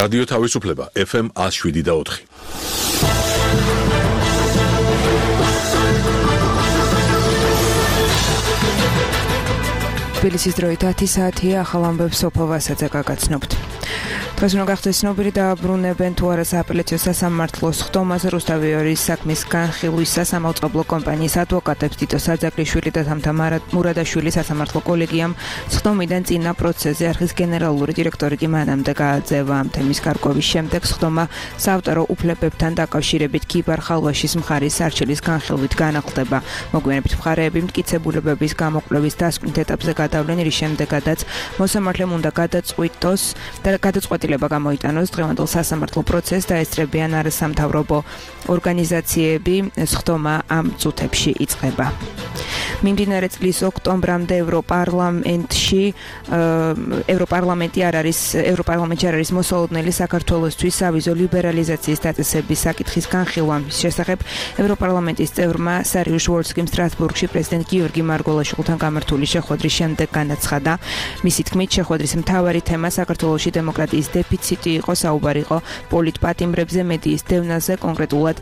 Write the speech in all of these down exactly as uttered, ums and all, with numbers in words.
რადიო თავისუფლება ეფ ემ one oh seven და four. თბილისის დროით ათი საათია, ახალ ამბებს სოფო ვასაძე გაგაცნობთ. დღეს უნდა გახდეს ცნობილი დააბრუნებენ თუ არა სააპელაციო სასამართლოს ხდომაზე რუსთავის საქმის განხილვის სასამართლო კომპანიის ადვოკატებს თითო საძაგლიშვილი და თამთა მურადაშვილი სასამართლო კოლეგიამ ხდომიდან წინა პროცესზე არხის გენერალური დირექტორი კი მანამდე გააძევა. ამ თემის გარკვევის შემდეგ ხდომა საავტორო უფლებებთან დაკავშირებით ქიბარ ხალვაშის მხარის სარჩელის განხილვით განახლდება. მოგვიანებით მხარეები მტკიცებულებების გამოკვლევის დასკვნით ეტაპზე გადავლენ, რის შემდეგაც მოსამართლემ უნდა გადაწყვიტოს და გადაწყვეტილება გამოიტანოს დღევანდელ სასამართლო პროცესს დაესწრებიან არასამთავრობო ორგანიზაციები. ხდომა ამ წუთებში იწყება. მიმდინარე წლის ოქტომბრამდე ევროპარლამენტში ევროპარლამენტი არ არის ევროპარლამენტში არ არის მოსალოდნელი საქართველოსთვის სავიზო ლიბერალიზაციის დაწესების საკითხის განხილვის შესახებ ევროპარლამენტის წევრმა სარიუშ ვოლსკიმ სტრასბურგში პრეზიდენტ გიორგი მარგველაშვილთან გამართული შეხვედრის შემდეგ განაცხადა. მისი თქმით, შეხვედრის მთავარი თემა საქართველოში დემოკრატიის დეფიციტი იყო, საუბარი იყო პოლიტპატიმრებზე, მედიის დევნაზე, კონკრეტულად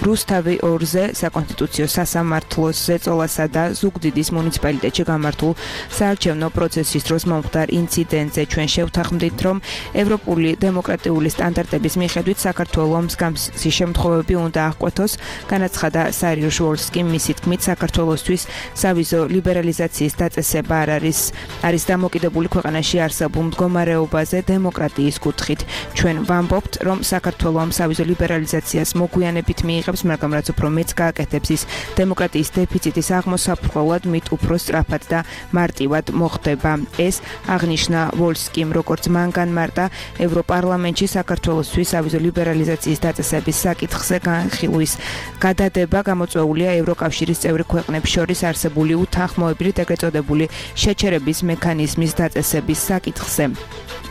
რუსთავი ორზე, საკონსტიტუციო სასამართლოს ზეწოლასა და ზუგდიდის მუნიციპალიტეტში გამართულ საარჩევნო პროცესის დროს მომხდარ ინციდენტზე. ჩვენ შევთანხმდით, რომ ევროპული დემოკრატიული სტანდარტების მიხედვით საქართველოს მსგავსი შემთხვევები უნდა აღკვეთოს, განაცხადა სარიუშ ვოლსკიმ. მისი თქმით, საქართველოსთვის სავიზო ლიბერალიზაციის დაწესება არ არის არის დამოკიდებული ქვეყანაში არსებულ მდგომარეობაზე დემოკრატიის კუთხით. ჩვენ ვამბობთ, რომ საქართველოს სავიზო ლიბერალიზაციას მოგვიანებით მიიღებს, მაგრამ რაც უფრო მეც გააკეთებს, ის დემოკრატიის დეფიციტის აღმოსაფრთხოად მით უფრო სწრაფად და მარტივად მოხდება. ეს აღნიშნა ვოლსკიმ, როგორც მან განმარტა ევროპარლამენტში საქართველოსთვის სავიზო ლიბერალიზაციის დაწესების საკითხზე განხილვის გადადება გამოწვეულია ევროკავშირის წევრი ქვეყნებს შორის არსებული უთანხმოებრივი ეგრეთ წოდებული შეჩერების მექანიზმის დაწესების საკითხზე.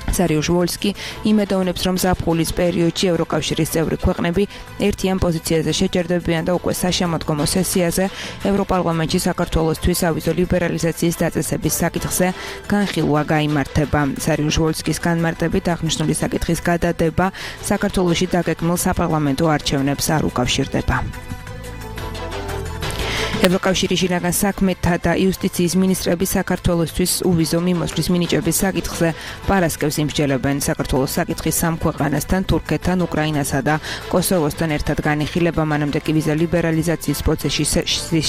სარიუშ ვოლსკი იმედოვნებს, რომ ზაფხულის პერიოდში ევროკავშირის წევრი ქვეყნები ერთიან პოზიციაზე შეჯერდებიან და უკვე საშემოდგომო სესიაზე ევროპარლამენტში საქართველოსთვის სავიზო ლიბერალიზაციის დაწესების საკითხზე განხილვა გაიმართება. სარიუშ ვოლსკის განმარტებით აღნიშნული საკითხის გადადება საქართველოში დაგეგმილ საპარლამენტო არჩევნებს არ უკავშირდება. ევროკავშირის შინაგან საქმეთა და იუსტიციის მინისტრები საქართველოსთვის უვიზო მიმოსვლის მინიჭების საკითხზე პარასკევს იმსჯელებენ. საქართველოს საკითხის სამ ქვეყანასთან, თურქეთთან, უკრაინასა და კოსოვოსთან ერთად განიხილება. მანამდე კი ვიზა ლიბერალიზაციის პროცესის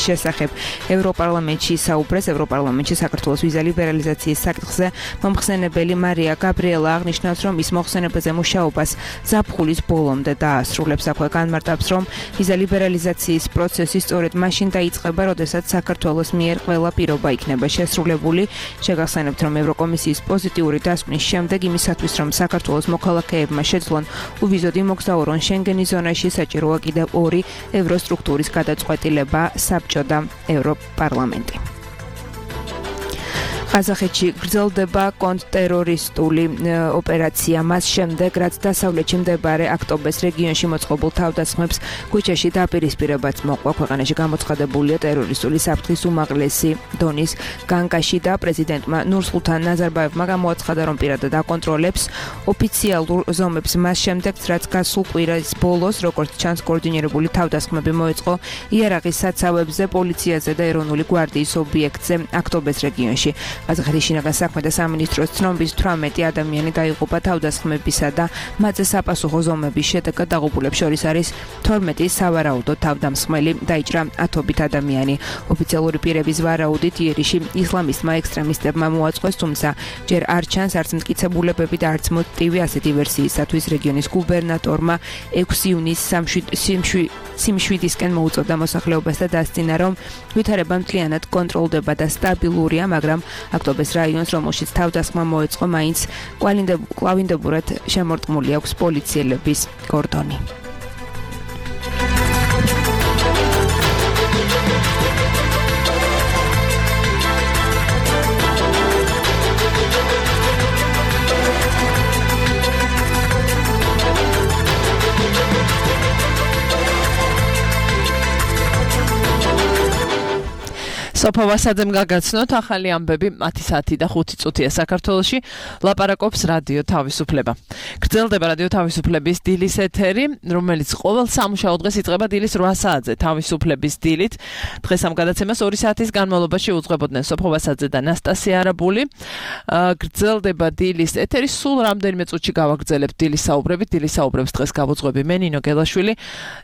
შესახებ ევროპარლამენტში საუბრეს. ევროპარლამენტში საქართველოს ვიზა ლიბერალიზაციის საკითხზე მომხსენებელი მარია გაბრიელა აღნიშნავს, რომ ის მოხსენებაზე მუშაობას ზაფხულის ბოლომდე დაასრულებს. აქვე განმარტავს, რომ ვიზა ლიბერალიზაციის პროცესი სწორედ მაშინ დაიწყება, როდესაც საქართველოს მიერ ყველა პირობა იქნება შესრულებული. შეგახსენებთ, რომ ევროკომისიის პოზიტიური დასკვნის შემდეგ იმისათვის, რომ საქართველოს მოქალაქეებმა შეძლონ უვიზოდ იმოგზაურონ შენგენის ზონაში, საჭიროა კიდევ ორი ევროსტრუქტურის გადაწყვეტილება, საბჭო და ევროპარლამენტი. ყაზახეთში გრძელდება კონტრტერორისტული ოპერაცია. მას შემდეგ, რაც დასავლეთში მდებარე აქტობეს რეგიონში მოწყობილ თავდასხმებს ქუჩაში დაპირისპირებაც მოყვა, ქვეყანაში გამოცხადებულია ტერორისტული საფრთხის უმაღლესი დონის განგაში და პრეზიდენტმა ნურსულთან ნაზარბაევმა გამოაცხადა, რომ პირადად აკონტროლებს ოფიციალურ ზომებს. მას შემდეგ, რაც გასულ კვირის ბოლოს, როგორც ჩანს, კოორდინირებული თავდასხმები მოეწყო იარაღის საცავებზე, პოლიციაზე და ეროვნული გვარდიის ობიექტზე აქტობეს რეგიონში. ყაზახეთის შინაგან საქმეთა სამინისტროს ცნობის თვრამეტი ადამიანი დაიღუპა თავდასხმებისა და მათზე საპასუხო ზომების შედეგად დაღუპულებს შორის არის თორმეტი სავარაუდო თავდამსხმელი. დაიჭრა ათობით ადამიანი. ოფიციალური პირების ვარაუდით იერიში ისლამისტმა ექსტრემისტებმა მოაწყვეს, თუმცა ჯერ არ ჩანს არც მტკიცებულებები და არც მოტივი ასეთი ვერსიისათვის. რეგიონის გუბერნატორმა ექვსი ივნისს სიმშვიდისკენ მოუწოდა მოსახლეობას და დასძინა, რომ ვითარება მთლიანად კონტროლდება და სტაბილურია, მაგრამ აქტობეს რაიონს, რომელშიც თავდასხმა მოეწყო, მაინც კვლავინდებურად შემორტყმული აქვს პოლიციელების კორდონი. სოფო ვასაძემ გაგაცნოთ ახალი ამბები ათი საათი და ხუთი წუთია საქართველოში ლაპარაკობს რადიო თავისუფლება. გრძელდება რადიო თავისუფლების დილის ეთერი, რომელიც ყოველ სამუშაო დღეს იწყება დილის რვა საათზე თავისუფლების დილით. დღეს ამ გადაცემას ორი საათის განმავლობაში უძღვებოდნენ სოფო ვასაძე და ნასტასია არაბული. გრძელდება დილის ეთერი, სულ რამდენიმე წუთში გავაგრძელებთ დილის საუბრებით. დილის საუბრებს დღეს გავუძღვები მე ნინო გელაშვილი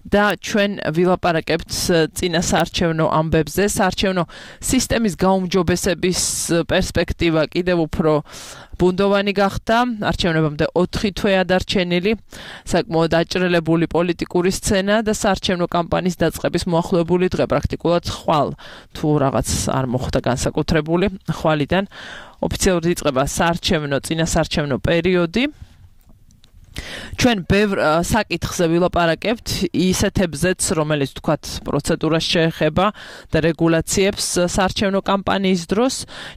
და ჩვენ ვილაპარაკებთ წინა საარჩევნო ამბებზე. საარჩევნო სისტემის გაუმჯობესების პერსპექტივა კიდევ უფრო ბუნდოვანი გახდა. არჩევნებამდე ოთხი თვეა დარჩენილი. საკმაოდ დაჭრელებული პოლიტიკური სცენა და საარჩევნო კამპანიის დაწყების მოახლოებული დღე პრაქტიკულად ხვალ თუ რაღაც არ მოხდა განსაკუთრებული ხვალიდან ოფიციალურად იწყება საარჩევნო წინა საარჩევნო პერიოდი. ჩვენ ბევრ საკითხზე ვილაპარაკებთ ისეთებზეც, რომელიც თქვათ პროცედურას შეეხება და რეგულაციებს საარჩევნო კამპანიის დროს.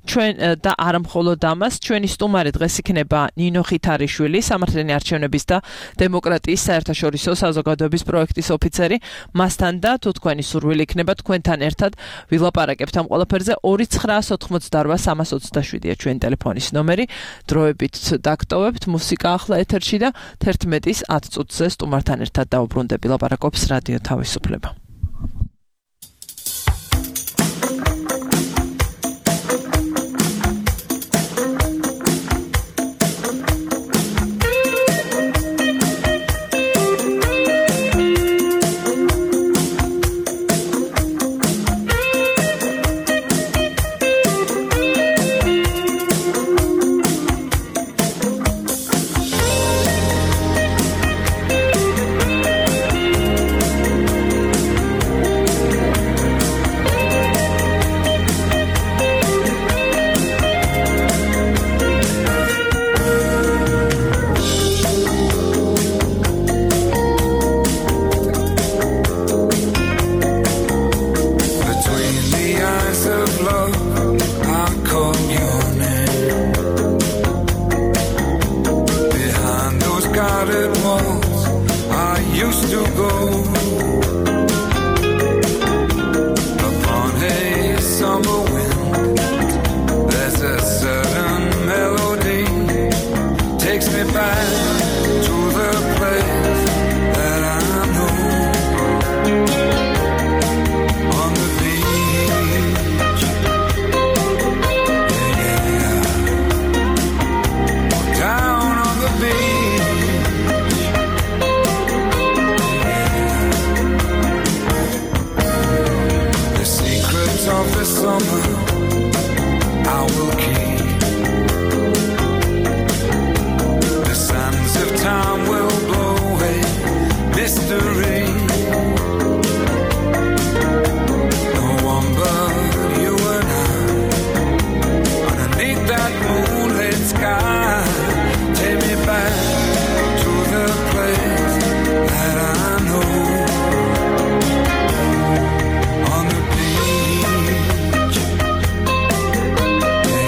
ჩვენ და არა მხოლოდ ამას, ჩვენი სტუმარი დღეს იქნება ნინო ხითარიშვილი, სამართლიანი არჩევნების და დემოკრატიის საერთაშორისო საზოგადოების პროექტის ოფიცერი. მასთან და თუ თქვენი სურვილი იქნება თქვენთან ერთად ვილაპარაკებთ ამ ყველაფერზე. ორი ცხრაას ოთხმოცდარვა სამას ოცდაშვიდია ჩვენი ტელეფონის ნომერი. დროებით დაგტოვებთ მუსიკა ახლა ეთერში და თერთმეტის ათ წუთზე სტუმართან ერთად დაუბრუნდები ლაპარაკობს რადიო თავისუფლება.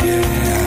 Yeah.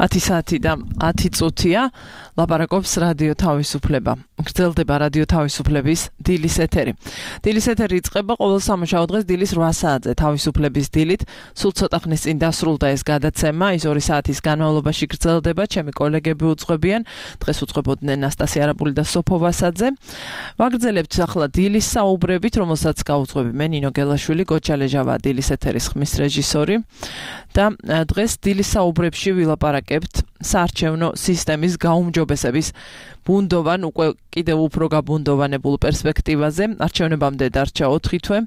ათი საათი და ათი წუთია ლაპარაკობს რადიო თავისუფლება. გრძელდება რადიო თავისუფლების დილის ეთერი. დილის ეთერი იწყება ყოველ სამუშაო დღეს დილის რვა საათზე თავისუფლების დილით. სულ ცოტა ხნის წინ დასრულდა ეს გადაცემა, ის ორი საათის განმავლობაში გრძელდება. ჩემი კოლეგები უძღვებიან. დღეს უძღვებოდნენ ნასტასია არაბული და სოფო ვასაძე. ვაგრძელებთ ახლა დილის საუბრებით, რომელსაც გაუძღვები მე ნინო გელაშვილი, გოჩა ლეჟავა, დილის ეთერის ხმის რეჟისორი. და დღეს დილის საუბრებში ვილაპარაკებთ საარჩევნო სისტემის გაუმჯობესების ბუნდოვან, უკვე კიდევ უფრო გაბუნდოვანებულ პერსპექტივაზე. არჩევნებამდე დარჩა ოთხი თვე.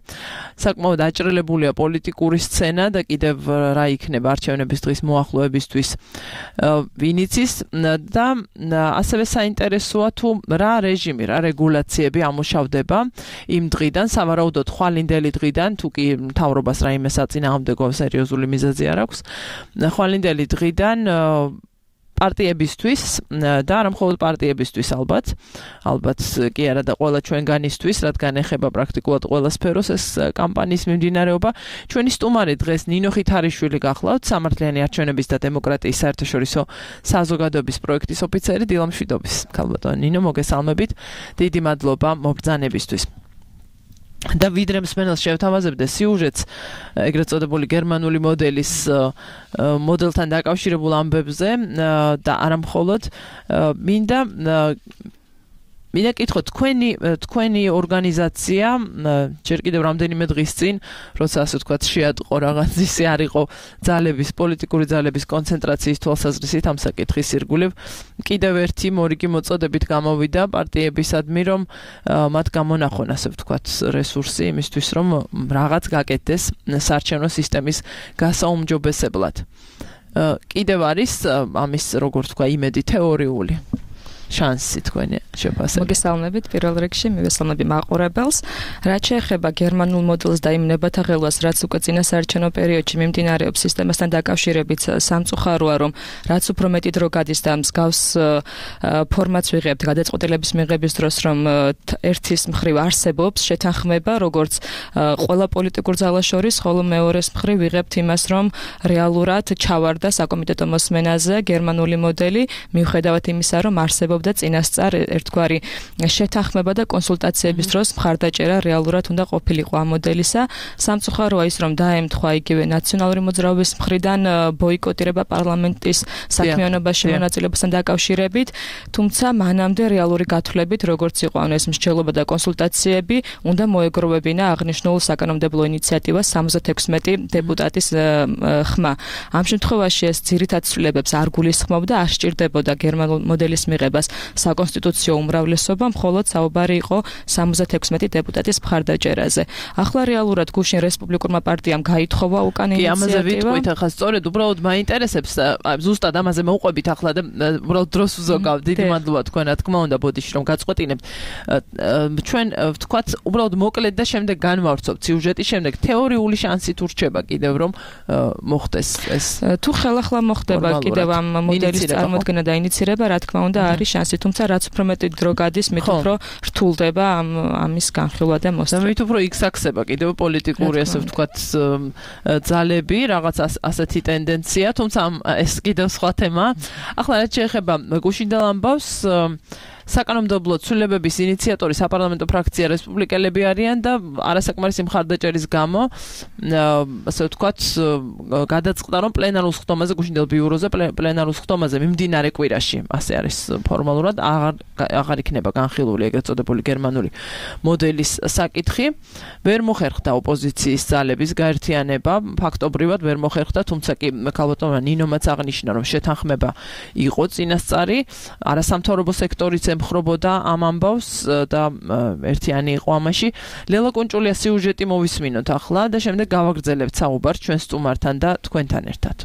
საკმაოდ აჭრელებულია პოლიტიკური სცენა და კიდევ რა იქნება არჩევნების დღის მოახლოებისთვის ვინ იცის და ასევე საინტერესოა თუ რა რეჟიმი, რა რეგულაციები ამუშავდება იმ დღიდან, სავარაუდოდ ხვალინდელი დღიდან, თუ კი მთავრობას რაიმე საწინააღმდეგო სერიოზული მიზეზი არ აქვს, ხვალინდელი დღიდან პარტიებისთვის და არა მხოლოდ პარტიებისთვის ალბათ, ალბათ კი არა და ყველა ჩვენგანისთვის, რადგან ეხება პრაქტიკულად ყველა სფეროს ეს კამპანიის მიმდინარეობა. ჩვენი სტუმარი დღეს ნინო ხითარიშვილი გახლავთ, სამართლიანი არჩევნების და დემოკრატიის საერთაშორისო საზოგადოების პროექტის ოფიცერი დილა მშვიდობის. ქალბატონო ნინო, მოგესალმებით. დიდი მადლობა მობრძანებისთვის. და ვიდრე მსმენელს შევთავაზებდე სიუჟეტს ეგრეთ წოდებული გერმანული მოდელის მოდელთან დაკავშირებულ ამბებზე და არა მხოლოდ მინდა მინდა კითხო თქვენი თქვენი ორგანიზაცია ჯერ კიდევ რამდენიმე დღის წინ, როცა ასე ვთქვათ, შეატყო რაღაც ისე არ იყო ძალების, პოლიტიკური ძალების კონცენტრაციის თვალსაზრისით ამ საკითხის ირგვლივ, კიდევ ერთი მორიგი მოწოდებით გამოვიდა პარტიებისადმი, რომ მათ გამონახონ, ასე ვთქვათ, რესურსი იმისთვის, რომ რაღაც გაკეთდეს საარჩევნო სისტემის გასაუმჯობესებლად. კიდევ არის ამის, როგორ ვთქვა, იმედი თეორიული შანსი თქვენი შეფასებით. მოგესალმებით პირველ რიგში, მივესალმები მაყურებელს. რაც შეეხება გერმანულ მოდელს და იმ ნებათაღელვას, რაც უკვე წინა საარჩევნო პერიოდში მიმდინარეობს სისტემასთან დაკავშირებით, სამწუხაროა, რომ რაც უფრო მეტი დრო გადის და მსგავს ფორმატს ვიღებთ გადაწყვეტილების მიღების დროს, რომ ერთის მხრივ არსებობს შეთანხმება, როგორც ყველა პოლიტიკურ ძალას შორის, ხოლო მეორეს მხრივ ვიღებთ იმას, რომ რეალურად ჩავარდა საკომიტეტო მოსმენაზე გერმანული მოდელი, მიუხედავად იმისა, რომ არსებობს და წინასწარ ერთგვარი შეთანხმება და კონსულტაციების დროს მხარდაჭერა რეალურად უნდა ყოფილიყო ამ მოდელისა. სამწუხაროა ის, რომ დაემთხვა იგივე ნაციონალური მოძრაობის მხრიდან ბოიკოტირება პარლამენტის საქმიანობაში მონაწილეობასთან დაკავშირებით, თუმცა მანამდე რეალური გათვლებით, როგორც იყო ეს მსჯელობა და კონსულტაციები, უნდა მოეგროვებინა აღნიშნულ საკანონმდებლო ინიციატივას სამოცდაექვსმეტი დეპუტატის ხმა. ამ შემთხვევაში ეს ძირითად ცვლილებებს არ გულისხმობდა, არ სჭირდებოდა გერმანულ მოდელის მიღებას საკონსტიტუციო უმრავლესობა, მხოლოდ საუბარი იყო სამოცდაექვსმეტი დეპუტატის მხარდაჭერაზე. ახლა რეალურად გუშინ რესპუბლიკურმა პარტიამ გაითხოვა უკან ინიციატივა. კი, ამაზე ვიტყვით ახლა სწორედ უბრალოდ მაინტერესებს, ზუსტად ამაზე მოვყვებით ახლა და უბრალოდ დროს ვზოგავ. დიდი მადლობა თქვენ, რა თქმა უნდა, ბოდიში რომ გაწყვეტინებთ. ჩვენ ვთქვათ, უბრალოდ მოკლედ და შემდეგ განვავრცობთ სიუჟეტის შემდეგ თეორიული შანსი თუ რჩება კიდევ რომ მოხდეს ეს. თუ ხელახლა მოხდება კიდევ ამ მოდელის წარმოქმნა და ინიცირება, რა თქმა უნდა არის შანსი, თუმცა რაც უფრო მეტი დრო გადის, მით უფრო რთულდება ამ ამის განხილვა და მოსწრება. მით უფრო იქსაქსება კიდევ პოლიტიკური, ასე ვთქვათ, ძალები, რაღაც ასეთი ტენდენცია, თუმცა ეს კიდევ სხვა თემა. ახლა რაც შეეხება გუშინდელ ამბავს, საკანონმდებლო ცვლილებების ინიციატორი საპარლამენტო ფრაქცია რესპუბლიკელები არიან და არასაკმარისი მხარდაჭერის გამო, ასე ვთქვათ, გადაწყდა, რომ პლენარულ სხდომაზე, გუშინდელ ბიუროზე პლენარულ სხდომაზე მიმდინარე კვირაში, ასე არის ფორმალურად, აღარ აღარ იქნება განხილული ეგრეთ წოდებული გერმანული მოდელის საკითხი. ვერ მოხერხდა ოპოზიციის ძალების გაერთიანება, ფაქტობრივად ვერ მოხერხდა, თუმცა კი ქალბატონმა ნინომაც აღნიშნა, რომ შეთანხმება იყო წინასწარი, არასამთავრობო სექტორიც ემხრობოდა ამ ამბავს და ერთიანი იყო ამაში. ლელა კუნჭულია სიუჟეტი მოვისმინოთ ახლა და შემდეგ გავაგრძელებთ საუბარს ჩვენ სტუმართან და თქვენთან ერთად.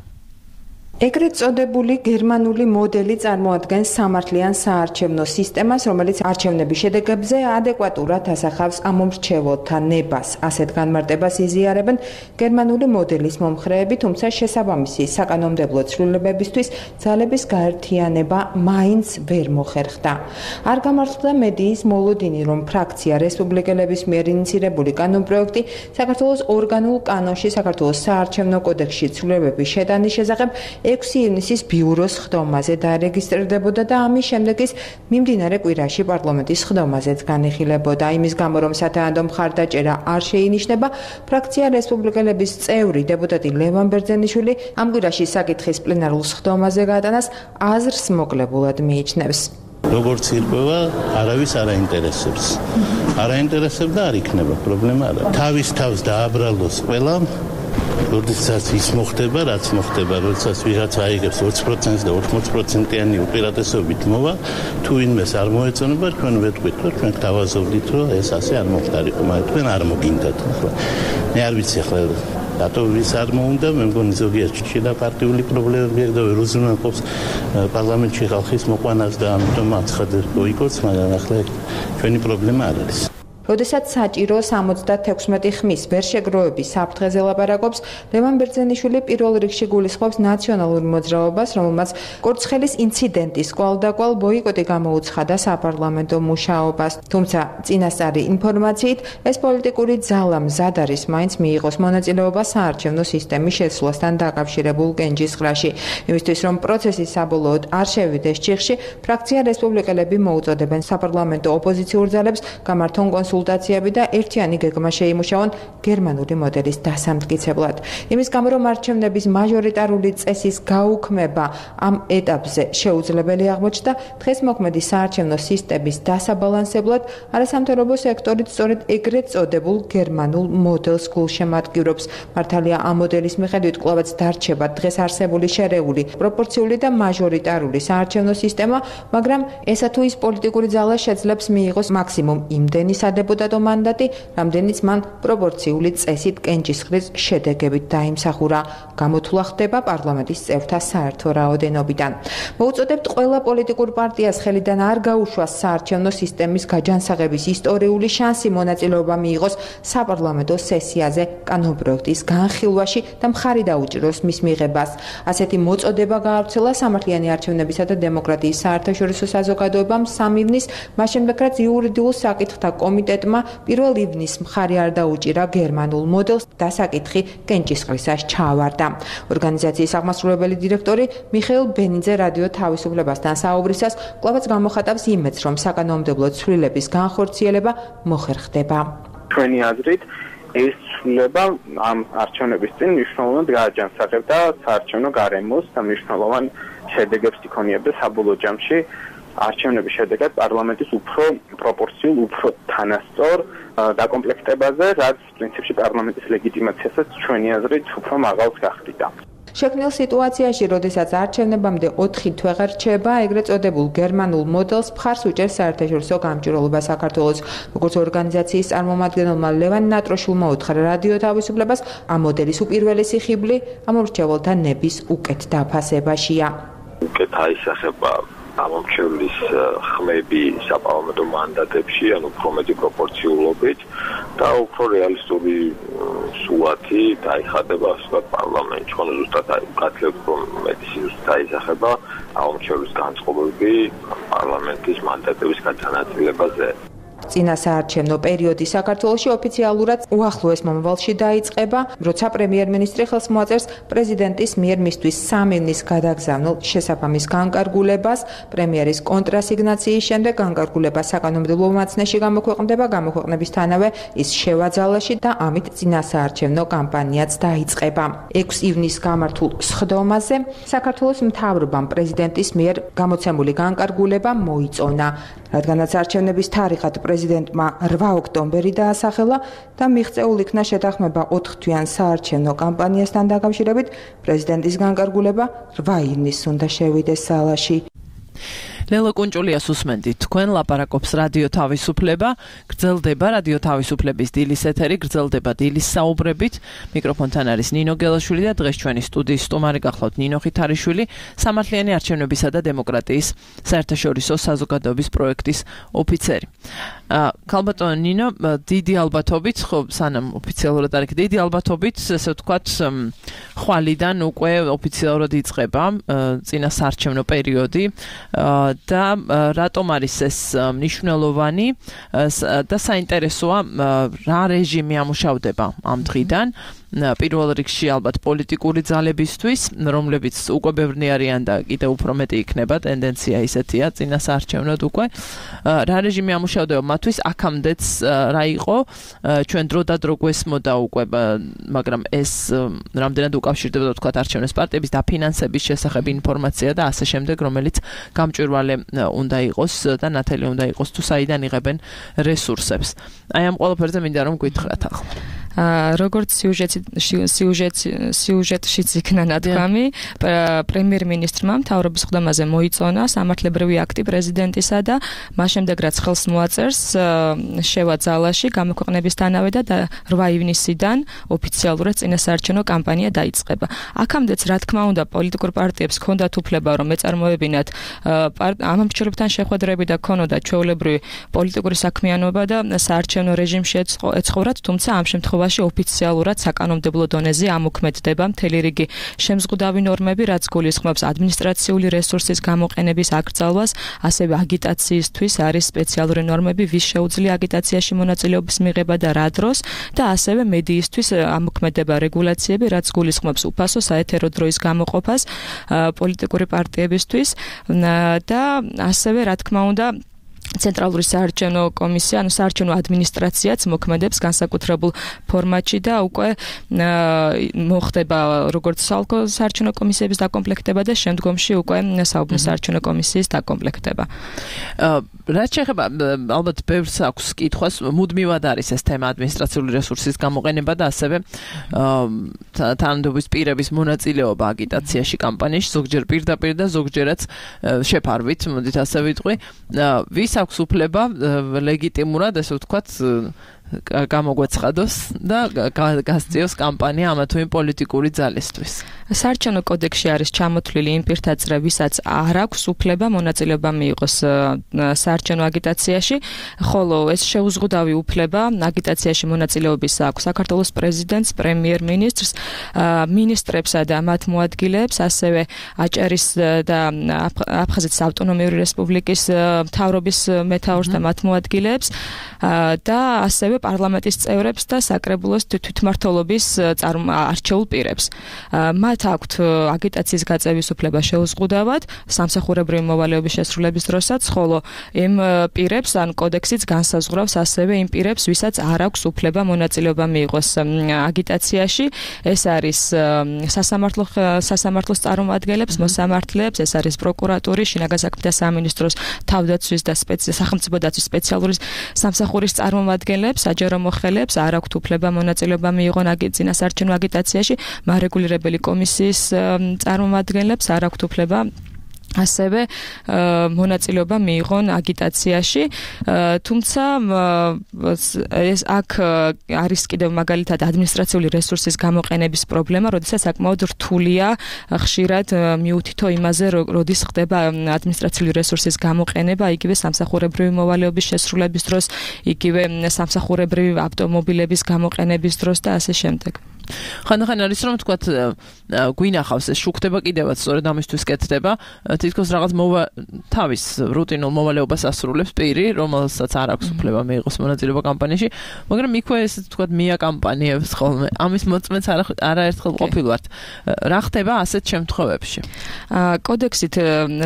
ეგრეთ წოდებული გერმანული მოდელი წარმოადგენს სამართლიან საარჩევნო სისტემას, რომელიც არჩევნების შედეგებზე ადეკვატურად ასახავს ამომრჩეველთა ნებას. ასეთ განმარტებას იზიარებენ გერმანული მოდელის მომხრეები, თუმცა შესაბამისი საკანონმდებლო ცვლილებებისთვის ძალების გაერთიანება მაინც ვერ მოხერხდა. არ გამართლდა მედიის მოლოდინი, რომ ფრაქცია რესპუბლიკელების მიერ ინიცირებული კანონპროექტი საქართველოს ორგანულ კანონში, საქართველოს საარჩევნო კოდექსში ცვლილებების შეტანის შესახებ ექვსი ივნისის ბიუროს ხდომაზე დარეგისტრირდებოდა და ამის შემდეგ ის მიმდინარე კვირაში პარლამენტის ხდომაზეც განიხილებოდა. იმის გამო, რომ სათანადო მხარდაჭერა არ შეინიშნება, ფრაქცია რესპუბლიკელების წევრი დეპუტატი ლევან ბერძენიშვილი ამ კვირაში საკითხის პლენარულ ხდომაზე გატანას აზრს მოკლებულად მიიჩნევს. როგორც ირკვევა, არავის არ აინტერესებს. არ აინტერესებს და არ იქნება, პრობლემა არა. თავის თავს დააბრალოს ყველა, როდესაც ის მოხდება, რაც მოხდება, როდესაც ვიღაცა აიღებს ოცი პროცენტს და ოთხმოცი პროცენტიანი უპირატესობით მოვა, თუ ვინმეს არ მოეწონება, თქვენ ვეთქვით, რომ თქვენ გთავაზობდით, რომ ეს ასე არ მოხდარიყო, მაგრამ თქვენ არ მოგინდათ. მე არ ვიცი ახლა რატო ვის არ მოუნდა, მე მგონი ზოგიერთი შიდა პარტიული პრობლემები აქვს და უზრუნველყოფს პარლამენტში ხალხის მოყვანას და ამიტომ აცხადებს ბოიკოტს, მაგრამ ახლა ჩვენი პრობლემა არ არის. როდესაც საჭირო სამოცდათექვსმეტი ხმის ვერ შეგროვების საფრთხეზე ლაპარაკობს, ლევან ბერძენიშვილი პირველ რიგში გულისხმობს ნაციონალურ მოძრაობას, რომელმაც კურცხელის ინციდენტის კვალდაკვალ ბოიკოტი გამოუცხადა საპარლამენტო მუშაობას. თუმცა წინასწარი ინფორმაციით, ეს პოლიტიკური ძალა მზად არის მაინც მიიღოს მონაწილეობა საარჩევნო სისტემის შეცვლასთან დაკავშირებულ კენჭისყრაში. იმისთვის, რომ პროცესი საბოლოოდ არ შევიდეს ჩიხში, ფრაქცია რესპუბლიკელები მოუწოდებენ საპარლამენტო ოპოზიციურ ძალებს გამართონ კონსულტაციები და ერთიანი გეგმა შეიმუშაონ გერმანული მოდელის დასამტკიცებლად. იმის გამო, რომ არჩევნების მაჟორიტარული წესის გაუქმება ამ ეტაპზე შეუძლებელი აღმოჩნდა, დღეს მოქმედი საარჩევნო სისტემის დასაბალანსებლად არასამთავრობო სექტორით სწორედ ეგრეთ წოდებულ გერმანულ მოდელს გულშემატკივრობს. მართალია ამ მოდელის მიხედვით კვლავაც დარჩება დღეს არსებული შერეული, პროპორციული და მაჟორიტარული საარჩევნო სისტემა, მაგრამ ესა თუ ის პოლიტიკური ძალა შეძლებს მიიღოს მაქსიმუმ იმდენი დეპუტატო მანდატი, რამდენიც მან პროპორციული წესით კენჭისყრის შედეგებით დაიმსახურა. გამოთვლა ხდება პარლამენტის წევრთა საერთო რაოდენობიდან. მოუწოდებთ ყველა პოლიტიკურ პარტიას ხელიდან არ გაუშვას საარჩევნო სისტემის გაჯანსაღების ისტორიული შანსი მონაწილეობა მიიღოს საპარლამენტო სესიაზე კანონპროექტის განხილვაში და მხარი დაუჭიროს მის მიღებას. ასეთი მოწოდება გაავრცელა სამართლიანი არჩევნებისა და დემოკრატიის საერთაშორისო საზოგადოებამ სამი ივნის, მას შემდეგ რაც იურიდიულ საკითხთა კომიტეტმა პირველ ივნისს მხარი არ დაუჭირა გერმანულ მოდელს და საკითხი კენჭისყრისას ჩაავარდა. ორგანიზაციის აღმასრულებელი დირექტორი მიხეილ ბენიძე რადიო თავისუფლებასთან საუბრისას კვლავაც გამოხატავს იმედს, რომ საკანონმდებლო ცვლილების განხორციელება მოხერხდება. ჩვენი აზრით ეს ცვლილება ამ არჩევნების წინ მნიშვნელოვნად გააჯანსაღებდა საარჩევნო გარემოს და მნიშვნელოვან შედეგებს იქონიებდა საბოლოო ჯამში არჩევნების შედეგად პარლამენტის უფრო პროპორციულ, უფრო თანასწორ დაკომპლექტებაზე, რაც პრინციპში პარლამენტის ლეგიტიმაციასაც ჩვენი აზრით უფრო მაღალს გახდიდა. შექმნილ სიტუაციაში, როდესაც არჩევნებამდე ოთხი თვე რჩება, ეგრეთ წოდებულ გერმანულ მოდელს მხარს უჭერს საერთაშორისო გამჭვირვალობა საქართველოს. როგორც ორგანიზაციის წარმომადგენელმა ლევან ნატროშულმა უთხრა რადიო თავისუფლებას, ამ მოდელის უპირველესი ხიბლი ამორჩეველთა ნების უკეთ დაფასებაშია. უკეთ აისახება ამომრჩევლის ხმები საპარლამენტო მანდატებში, ანუ უფრო მეტი პროპორციულობით და უფრო რეალისტური სურათი დაიხადება სწორედ პარლამენტში, ანუ ზუსტად გათვლით, რომ მეტი სიზუსტე დაისახება ამომრჩევლის განწყობები პარლამენტის მანდატების განაწილებაზე. წინა საარჩევნო პერიოდი საქართველოში ოფიციალურად უახლოეს მომავალში დაიწყება, როცა პრემიერ-მინისტრი ხელს მოაწერს პრეზიდენტის მიერ მისთვის სამი ივნის გადაგზავნილ შესაბამის განკარგულებას. პრემიერის კონტრასიგნაციის შემდეგ განკარგულება საკანონმდებლო მაცნეში გამოქვეყნდება, გამოქვეყნებისთანავე ის შევაძალაში და ამით წინა საარჩევნო კამპანიაც დაიწყება. ექვსი ივნისს გამართულ სხდომაზე საქართველოს მთავრობამ პრეზიდენტის მიერ გამოცემული განკარგულება მოიწონა, რადგანაც არჩევნების თარიღად პრეზიდენტმა რვა ოქტომბერი დაასახელა და მიღწეულ იქნა შეთანხმება ოთხ თვიან საარჩევნო კამპანიასთან დაკავშირებით, პრეზიდენტის განკარგულება რვა ივნისს უნდა შევიდეს სალაში. ლელო კუნჭულიას უსმენდით, თქვენ ლაპარაკობს რადიო თავისუფლება, გრძელდება რადიო თავისუფლების დილის ეთერი, გრძელდება დილის საუბრებით. მიკროფონთან არის ნინო გელაშვილი და დღეს ჩვენი სტუდიის სტუმარი გახლავთ ნინო ხითარიშვილი, სამართლიანი არჩევნებისა და დემოკრატიის საერთაშორისო საზოგადოების პროექტის ოფიცერი. ქალბატონო ნინო, დიდი ალბათობით, ხო, სანამ ოფიციალურად არ იქ, დიდი ალბათობით, ესე ვთქვათ, ხვალიდან უკვე ოფიციალურად იწყება წინა საარჩევნო პერიოდი. და რატომ არის ეს მნიშვნელოვანი და საინტერესოა რა რეჟიმი ამუშავდება ამ დღიდან პირველ რიგში ალბათ პოლიტიკური ძალებისთვის, რომლებიც უკვე ბევრნი არიან და კიდევ უფრო მეტი იქნება, ტენდენცია ისეთია წინასაარჩევნოდ უკვე. რა რეჟიმი ამუშავდება მათთვის, აქამდეც რა იყო, ჩვენ დრო და დრო გვესმოდა უკვე, მაგრამ ეს რამდენად უკავშირდება თქვა არჩევნებს პარტიების დაფინანსების შესახებ ინფორმაცია და ასე შემდეგ, რომელიც გამჭვირვალე უნდა იყოს და ნათელი უნდა იყოს თუ საიდან იღებენ რესურსებს. აი ამ ყველაფერზე მინდა რომ გითხრათ ახლა. როგორც სიუჟეტი სიუჟეტი სიუჟეტშიც იქნა ნათქვამი, პრემიერ-მინისტრმა მთავრობის ხდომაზე მოიწონა სამართლებრივი აქტი პრეზიდენტისა და მას შემდეგ რაც ხელს მოაწერს შევა ძალაში გამოქვეყნებისთანავე და რვა ივნისიდან ოფიციალურად წინასაარჩევნო კამპანია დაიწყება. აქამდეც რა თქმა უნდა პოლიტიკურ პარტიებს ჰქონდათ უფლება რომ ეწარმოებინათ ამ მრჩეველებთან შეხვედრები და ქონოდა ჩვეულებრივი პოლიტიკური საქმიანობა და საარჩევნო რეჟიმში ეცხოვრათ, თუმცა ამ შემთხვევაში ოფიციალურად საკანონმდებლო დონეზე ამოქმედდება მთელი რიგი შემზღუდავი ნორმები, რაც გულისხმობს ადმინისტრაციული რესურსის გამოყენების აკრძალვას, ასევე აგიტაციისთვის არის სპეციალური ნორმები, ვის შეუძლია აგიტაციაში მონაწილეობის მიღება და რა დროს და ასევე მედიისთვის ამოქმედება რეგულაციები, რაც გულისხმობს უფასო საეთერო დროის გამოყოფას პოლიტიკური პარტიებისთვის და ასევე რა თქმა უნდა ცენტრალური საარჩევნო კომისია, ანუ საარჩევნო ადმინისტრაციაც მოქმედებს განსაკუთრებულ ფორმატში და უკვე მოხდება როგორც საალკო საარჩევნო კომისიების დაკომპლექტება და შემდგომში უკვე საუბნო საარჩევნო კომისიის დაკომპლექტება. რაც შეეხება ალბათ ბევრს აქვს კითხვას, მუდმივად არის ეს თემა ადმინისტრაციული რესურსის გამოყენება და ასევე თანამდებობის პირების მონაწილეობა აგიტაციაში კამპანიაში, ზოგჯერ პირდაპირ და ზოგჯერაც შეფარვით, მოდით ასე ვიტყვი. ვის აქვს უფლება ლეგიტიმურად, ესე ვთქვათ, გამოგვეცხადოს და გასწიოს კამპანია ამა თუ იმ პოლიტიკური ძალისთვის. საარჩევნო კოდექსში არის ჩამოთვლილი იმ პირთა წრე, ვისაც არ აქვს უფლება მონაწილეობა მიიღოს საარჩევნო აგიტაციაში, ხოლო ეს შეუზღუდავი უფლება აგიტაციაში მონაწილეობის აქვს საქართველოს პრეზიდენტს, პრემიერ-მინისტრს, მინისტრებსა და მათ მოადგილეებს, ასევე აჭარის და აფხაზეთის ავტონომიური რესპუბლიკის მთავრობის მეთაურს და მათ მოადგილეებს და ასევე პარლამენტის წევრებს და საკრებულოს თვითმმართველობის არჩეულ პირებს. მათ აქვთ აგიტაციის გაწევის უფლება შეუზღუდავად სამსახურებრივი მოვალეობის შესრულების დროსაც, ხოლო იმ პირებს ან კოდექსიც განსაზღვრავს ასევე იმ პირებს, ვისაც არ აქვს უფლება მონაწილეობა მიიღოს აგიტაციაში. ეს არის სასამართლო სასამართლოს წარმომადგენლებს, მოსამართლეებს, ეს არის პროკურატურის, შინაგან საქმეთა სამინისტროს, თავდაცვის და სახელმწიფო დაცვის სპეციალური სამსახურის წარმომადგენლებს, საჯარო მოხელეებს არ აქვთ უფლება მონაწილეობა მიიღონ წინასაარჩევნო აგიტაციაში, მარეგულირებელი კომისიის წარმომადგენლებს არ აქვთ უფლება ასევე მონაწილეობა მიიღონ აგიტაციაში, თუმცა ეს აქ არის კიდევ მაგალითად ადმინისტრაციული რესურსის გამოყენების პრობლემა, როდესაც საკმაოდ რთულია ხშირად მიუთითო იმაზე, როდის ხდება ადმინისტრაციული რესურსის გამოყენება, იგივე სამსახურებრივი მოვალეობის შესრულების დროს, იგივე სამსახურებრივი ავტომობილების გამოყენების დროს და ასე შემდეგ. ხანდახან არის რომ თქვათ გვინახავს ეს შუქდება კიდევაც სწორედ ამისთვის კეთდება თითქოს რაღაც თავის რუტინულ მოვალეობას ასრულებს პირი რომელსაც არ აქვს უფლება მიიღოს მონაწილეობა კამპანიაში მაგრამ იქვე ეს თქვათ მია კამპანიებს ხოლმე ამის მოწმეც არაერთხელ ყოფილვართ რა ხდება ასეთ შემთხვევებში კოდექსით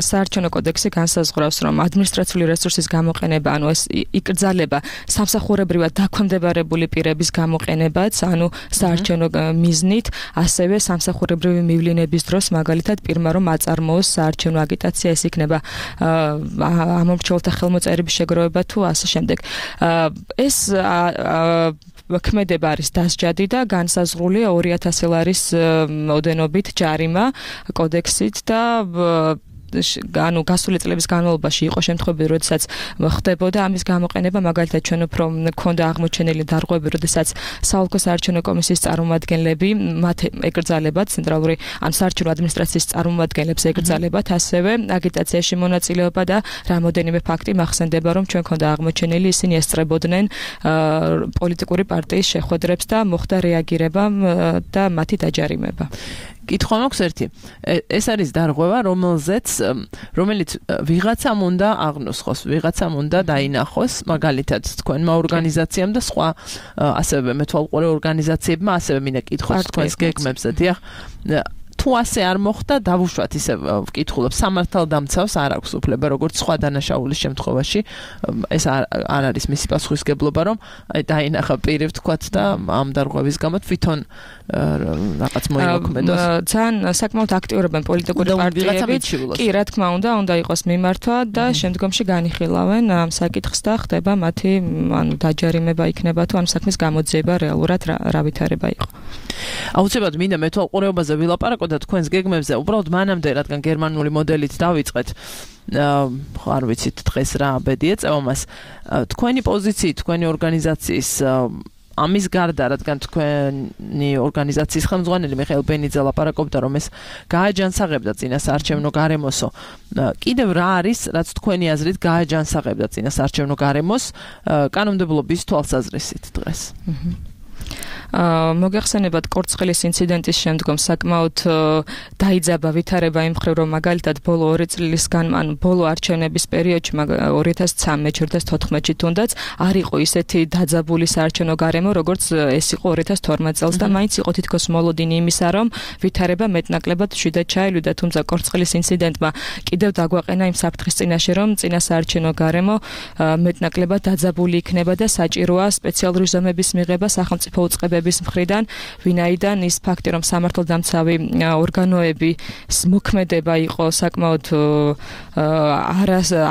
საარჩევნო კოდექსი განსაზღვრავს რომ ადმინისტრაციული რესურსის გამოყენება ანუ ეს იკრძალება სამსახურებრივად დაქვემდებარებული პირების გამოყენებაც ანუ საარჩევნო მიზნით ასევე სამსახურებრივი მივლინების დროს მაგალითად პირმა რომ აწარმოოს საარჩევნო აგიტაცია ეს იქნება ამომრჩეველთა ხელმოწერების შეგროვება თუ ასე შემდეგ ეს ქმედება არის დასჯადი და განსაზღვრულია ორი ათასი ლარის ოდენობით ჯარიმა კოდექსით და ანუ გასული წლების განმავლობაში იყო შემთხვევები, როდესაც ხდებოდა ამის გამოყენება, მაგალითად ჩვენ უფრო მქონდა აღმოჩენილი დარღვევები, როდესაც საოლქო საარჩევნო კომისიის წარმომადგენლები მათ ეკრძალებათ ცენტრალური ან საარჩევნო ადმინისტრაციის წარმომადგენლებს ეკრძალებათ ასევე აგიტაციაში მონაწილეობა და რამოდენიმე ფაქტი მახსენდება, რომ ჩვენ ქონდა აღმოჩენილი, ისინი ესწრებოდნენ პოლიტიკური პარტიის შეხვედრებს და მოხდა რეაგირება და მათი დაჯარიმება. კითხვა მაქვს ერთი. ეს არის დარღვევა, რომელზეც რომელიც ვიღაცამ უნდა აღნუსხოს, ვიღაცამ უნდა დაინახოს, მაგალითად თქვენმა ორგანიზაციამ და სხვა ასევე მეთვალყურე ორგანიზაციებმა ასევე მინდა კითხოს თქვენს გეგმებზე, დიახ. თუ ასე არ მოხდა, დავუშვათ ისე ვკითხულობ, სამართალდამცავს არ აქვს უფლება, როგორც სხვა დანაშაულის შემთხვევაში, ეს არ არის მისი პასუხისგებლობა, რომ დაინახა პირი ვთქვათ და ამ დარღვევის გამო თვითონ რაღაც მოიმოქმედოს. ძალიან საკმაოდ აქტიურობენ პოლიტიკური პარტიები. კი, რა თქმა უნდა, უნდა იყოს მიმართვა და შემდგომში განიხილავენ ამ საკითხს და ხდება მათი ანუ დაჯარიმება იქნება თუ ამ საქმის გამოძიება რეალურად რა ვითარება იყო. აუცილებლად მინდა მეთვალყურეობაზე ვილაპარაკო და თქვენს გეგმებზე უბრალოდ მანამდე, რადგან გერმანული მოდელით დავიწყეთ, არ ვიცით დღეს რა ბედი ეწევა მას. თქვენი პოზიციით, თქვენი ორგანიზაციის ამის გარდა, რადგან თქვენი ორგანიზაციის ხელმძღვანელი მიხეილ ბენიძე ლაპარაკობდა, რომ ეს გააჯანსაღებდა წინასაარჩევნო გარემოსო. კიდევ რა არის, რაც თქვენი აზრით გააჯანსაღებდა წინასაარჩევნო გარემოს კანონმდებლობის თვალსაზრისით დღეს? მოგეხსენებათ კორცხელის ინციდენტის შემდგომ საკმაოდ დაიძაბა ვითარება იმ მხრივ, რომ მაგალითად ბოლო ორი წლისგან, ან ბოლო არჩევნების პერიოდში ორი ათას ცხრამეტში, ორი ათას თოთხმეტში თუნდაც არ იყო ისეთი დაძაბული საარჩევნო გარემო, როგორც ეს იყო ორი ათას თორმეტ წელს და მაინც იყო თითქოს მოლოდინი იმისა, რომ ვითარება მეტნაკლებად მშვიდად ჩაილვიდა, თუმცა კორცხელის ინციდენტმა კიდევ დაგვაყენა იმ საფრთხის წინაშე, რომ წინასაარჩევნო გარემო მეტნაკლებად დაძაბული იქნება და საჭიროა სპეციალური ზომების მიღება სახელმწიფო უწყებების მხრიდან, ვინაიდან ის ფაქტი, რომ სამართალდამცავი ორგანოების მოქმედება იყო საკმაოდ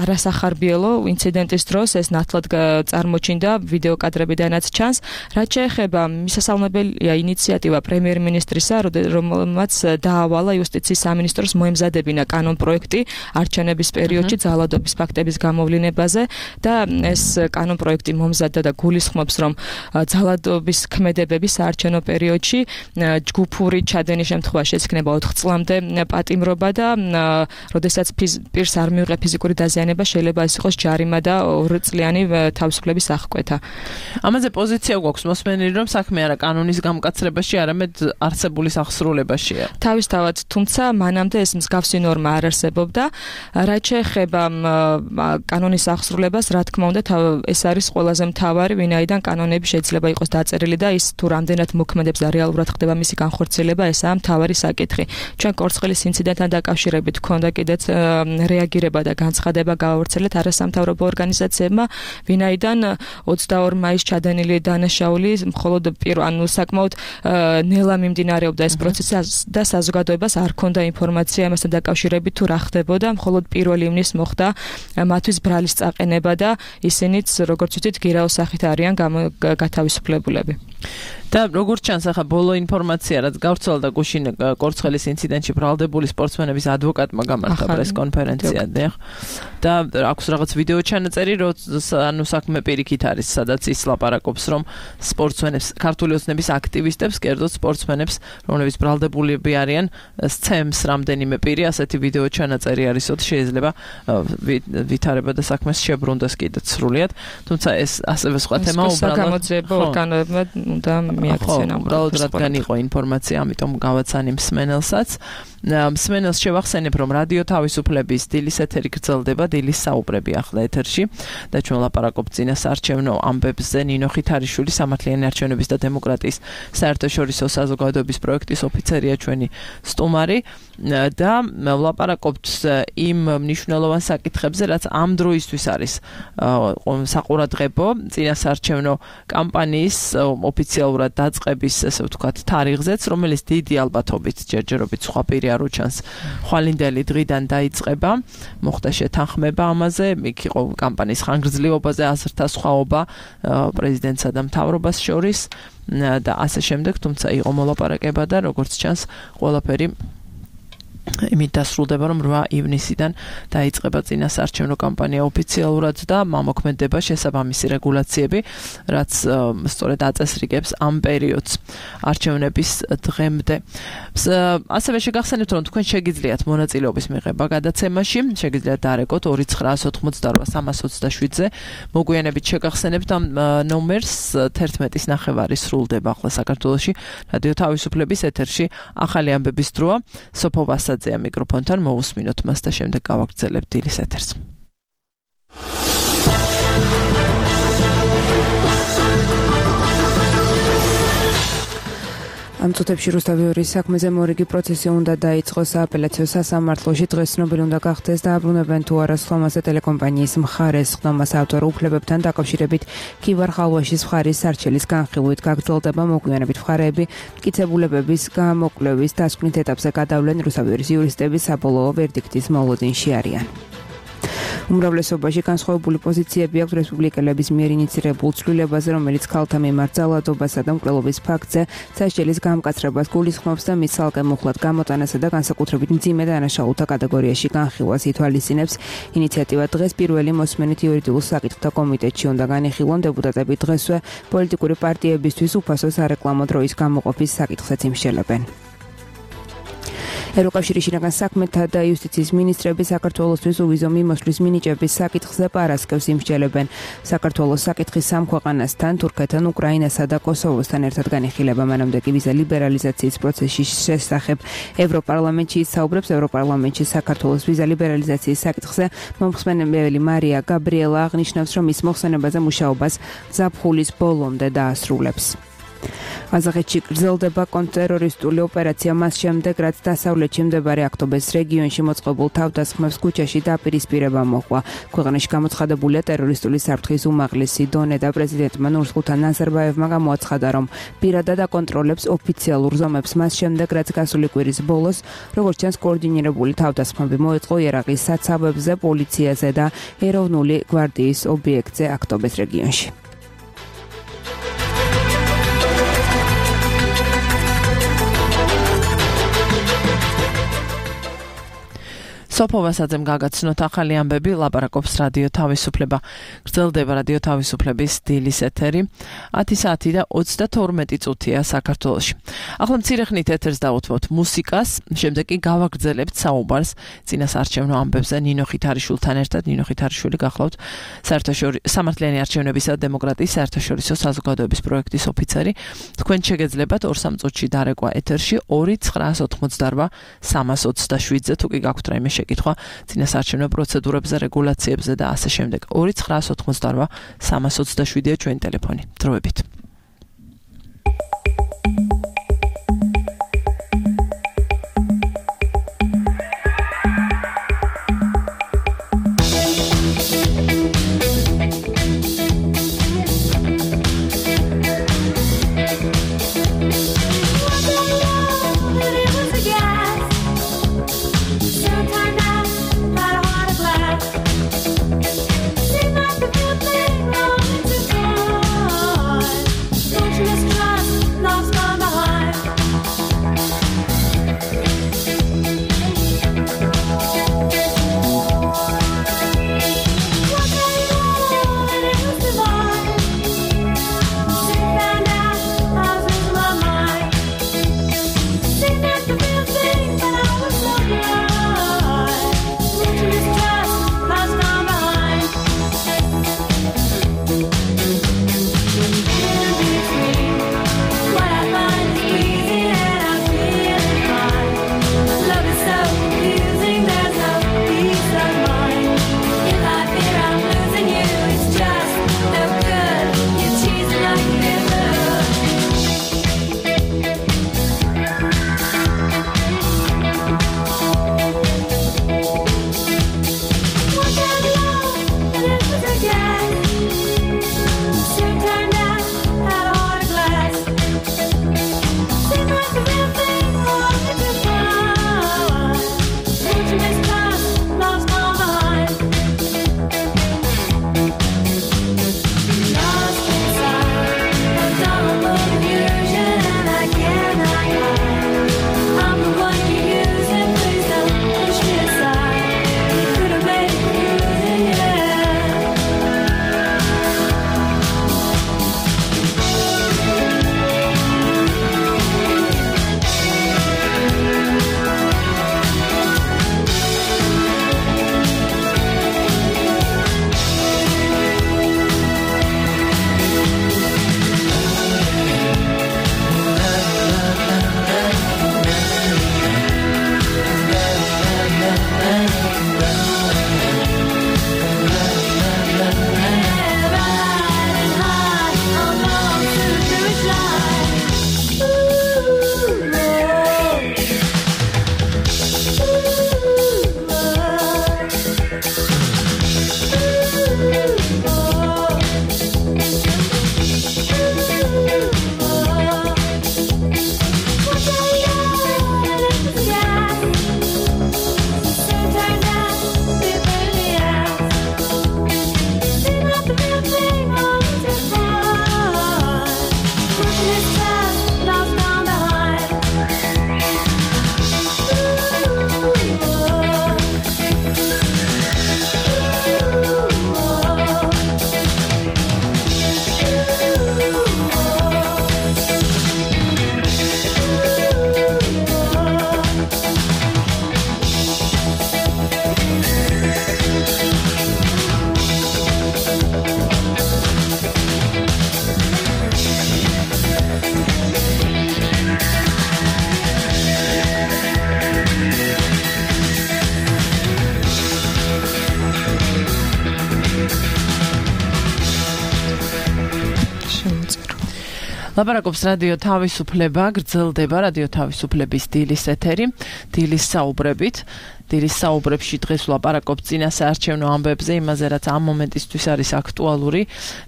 არასახარბიელო ინციდენტის დროს, ეს ნათლად წარმოჩინდა ვიდეო კადრებიდანაც ჩანს. რაც შეეხება მისასალმებელია ინიციატივა პრემიერ-მინისტრისა, რომელმაც დაავალა იუსტიციის სამინისტროს მოემზადებინა კანონპროექტი არჩევნების პერიოდში ძალადობის ფაქტების გამოვლინებაზე და ეს კანონპროექტი მომზადდა და გულისხმობს, რომ ძალადობის ქმედებების საარჩევნო პერიოდში ჯგუფური ჩადენის შემთხვევაში ეცქნება ოთხ წლამდე პატიმრობა და როდესაც პირს არ მიუღია ფიზიკური დაზიანება, შეიძლება ეს იყოს ჯარიმა და ორწლიანი თავისუფლების აღკვეთა. ამაზე პოზიცია გვაქვს მოსმენილი, რომ საქმე არა კანონის გამკაცრებაში, არამედ არსებული სახსრულებაშია. თავისთავად, თუმცა მანამდე ეს მსგავსი ნორმა არ არსებობდა. რაც შეეხება კანონის სახსრულებას, რა თქმა უნდა, ეს არის ყველაზე მთავარი, ვინაიდან კანონები შეიძლება იყოს დაწერილი და ის თუ რამდენად მოქმედებს და რეალურად ხდება მისი განხორციელება, ესაა მთავარი საკითხი. ჩვენ კორცხელის ინციდენტთან დაკავშირებით გვქონდა კიდეც რეაგირება და განცხადება გაავრცელეთ არასამთავრობო ორგანიზაციებმა, ვინაიდან ოცდაორი მაისს ჩადენილი დანაშაული მხოლოდ ანუ საკმაოდ ნელა მიმდინარეობდა ეს პროცესი და საზოგადოებას არ ჰქონდა ინფორმაცია ამასთან დაკავშირებით თუ რა ხდებოდა, მხოლოდ პირველ ივნისს მოხდა მათთვის ბრალის წაყენება და ისინიც, როგორც ვთქვით, გირაოს სახით არიან გათავისუფლებულები. და როგორც ჩანს, ახლა ბოლო ინფორმაცია, რაც გავრცელდა გუშინ კორცხელის ინციდენტში ბრალდებული სპორტსმენების ადვოკატმა გამართა პრესკონფერენცია, და აქვს რაღაც ვიდეო ჩანაწერი, ანუ საქმე პირიქით არის, სადაც ის ლაპარაკობს, რომ სპორტსმენებს, ქართული ოცნების აქტივისტებს, კერძოდ სპორტსმენებს, რომლებიც ბრალდებულები არიან, სცემს რამდენიმე პირი, ასეთი ვიდეო ჩანაწერი არისოთ, შეიძლება ვითარება და საქმეს შებრუნდეს კიდეც სრულიად, თუმცა ეს ასევე სხვა თემა უბრალოდ უნდა მიაქცენ ამ უბრალოდ რადგან იყო ინფორმაცია, ამიტომ გავაცანი მსმენელსაც. მსმენელს შევახსენებ, რომ რადიო თავისუფლების დილის ეთერი გრძელდება, დილის საუბრები ახლა ეთერში და ჩვენ ლაპარაკობთ წინასაარჩევნო ამბებზე. ნინო ხითარიშვილი, სამართლიანი არჩევნების და დემოკრატიის საერთაშორისო საზოგადოების პროექტის ოფიცერია ჩვენი სტუმარი და ლაპარაკობთ იმ მნიშვნელოვან საკითხებზე, რაც ამ დროისთვის არის საყურადღებო წინასაარჩევნო კამპანიის ოფიციალურად დაწყების, ესე ვთქვათ, თარიღზეც, რომელიც დიდი ალბათობით ჯერჯერობით სხვა პირი არ უჩანს ხვალინდელი დღიდან დაიწყება. მოხდა შეთანხმება ამაზე, იქ იყო კამპანიის ხანგრძლივობაზე აზრთა სხვაობა პრეზიდენტსა და მთავრობას შორის და ასე შემდეგ, თუმცა იყო მოლაპარაკება და როგორც ჩანს, ყველაფერი იმით დასრულდება, რომ რვა ივნისიდან დაიწყება წინასაარჩევნო კამპანია ოფიციალურად და მომოქმედება შესაბამისი რეგულაციები, რაც სწორედ აწესრიგებს ამ პერიოდს არჩევნების დღემდე. ასევე შეგახსენებთ, რომ თქვენ შეგიძლიათ მონაწილეობის მიღება გადაცემაში, შეგიძლიათ დარეკოთ ორი ცხრაას ოცდაოთხ სამას ოცდაშვიდზე. მოგვიანებით შეგახსენებთ ამ ნომერს თერთმეტის ნახევარი სრულდება ახლა საქართველოში რადიო თავისუფლების ეთერში ახალი ამბების დროა. სოფო ვასაძეა მიკროფონთან, მოусმინოთ მას და შემდეგ გავაგრძელებთ დილის ეთერს. ამ წუთებში რუსთავის საქმეზე მორიგი პროცესი უნდა დაიწყოს სააპელაციო სასამართლოში. დღეს ცნობილი უნდა გახდეს დააბრუნებენ თუ არა სხდომაზე ტელეკომპანიის მხარეს. სხდომას ავტორ უფლებებთან დაკავშირებით ქივარ ხალვაშის მხარის სარჩელის განხილვით გაგრძელდება. მოგვიანებით მხარეები მტკიცებულებების გამოკვლევის დასკვნით ეტაპზე გადავლენ. რუსთავის იურისტები საბოლოო ვერდიქტის მოლოდინში არიან. უმრავლესობაში განსხვავებული პოზიციები აქვს რესპუბლიკელების მიერ ინიცირებულ ცვლილებაზე, რომელიც ქალთა მიმართ ძალადობასა და მკვლელობის ფაქტზე სასჯელის გამკაცრებას გულისხმობს და მის ცალკე მუხლად გამოტანასა და განსაკუთრებით მძიმე დანაშაულთა კატეგორიაში განხილვას ითვალისწინებს. ინიციატივა დღეს პირველი მოსმენით იურიდიულ საკითხთა კომიტეტში უნდა განიხილონ. დეპუტატები დღესვე პოლიტიკური პარტიებისთვის უფასო სარეკლამო დროის გამოყოფის საკითხსაც იმსჯელებენ. ევროკავშირის შინაგან საქმეთა და იუსტიციის მინისტრები საქართველოსთვის უვიზო მიმოსვლის მინიჭების საკითხზე პარასკევს იმსჯელებენ. საქართველოს საკითხი სამ ქვეყანასთან, თურქეთთან, უკრაინასა და კოსოვოსთან ერთად განიხილება. მანამდე კი ვიზა ლიბერალიზაციის პროცესის შესახებ ევროპარლამენტში ისაუბრებს. ევროპარლამენტში საქართველოს ვიზა ლიბერალიზაციის საკითხზე მომხსენებელი მარია გაბრიელა აღნიშნავს, რომ ის მოხსენებაზე მუშაობას ზაფხულის ბოლომდე დაასრულებს. ყაზახეთში გრძელდება კონტრტერორისტული ოპერაცია მას შემდეგ, რაც დასავლეთში მდებარე აქტობეს რეგიონში მოწყობილ თავდასხმებს ქუჩაში დაპირისპირება მოჰყვა. ქვეყანაში გამოცხადებულია ტერორისტული საფრთხის უმაღლესი დონე და პრეზიდენტმა ნურსულთან ნაზარბაევმა გამოაცხადა, რომ პირადად აკონტროლებს ოფიციალურ ზომებს მას შემდეგ, რაც გასული კვირის ბოლოს, როგორც ჩანს, კოორდინირებული თავდასხმები მოეწყო ერაყის საცავებზე, პოლიციაზე და ეროვნული გვარდიის ობიექტზე აქტობეს რეგიონში. სოფო ვასაძემ გაგაცნოთ ახალი ამბები, ლაპარაკობს რადიო თავისუფლება. გრძელდება რადიო თავისუფლების დილის ეთერი. ათი საათი და ოცდათორმეტი წუთია საქართველოში. ახლა მცირე ხნით ეთერს დავუთმოთ მუსიკას, შემდეგ კი გავაგრძელებთ საუბარს წინასაარჩევნო ამბებზე ნინო ხითარიშვილთან ერთად. ნინო ხითარიშვილი გახლავთ საერთაშორისო სამართლიანი არჩევნებისა და დემოკრატიის საერთაშორისო საზოგადოების პროექტის ოფიცერი. თქვენ შეგეძლებათ ორ სამ წუთში დარეკვა ეთერში ორი ცხრაას ოცდაოთხ სამას ოცდაშვიდზე თუ კი გაქვთ რაიმე კითხვა წინასაარჩევნო პროცედურებზე, რეგულაციებზე და ასე შემდეგ. ორი ცხრაას ოცდაოთხ სამას ოცდაშვიდია ჩვენი ტელეფონი. დროებით. Seemed like the good thing wrong to go. ლაპარაკობს რადიო თავისუფლება, გრძელდება რადიო თავისუფლების დილის ეთერი, დილის საუბრებით. დილის საუბრებში დღეს ვლაპარაკობ წინა საარჩევნო ამბებზე, იმაზე რაც ამ მომენტისთვის არის აქტუალური.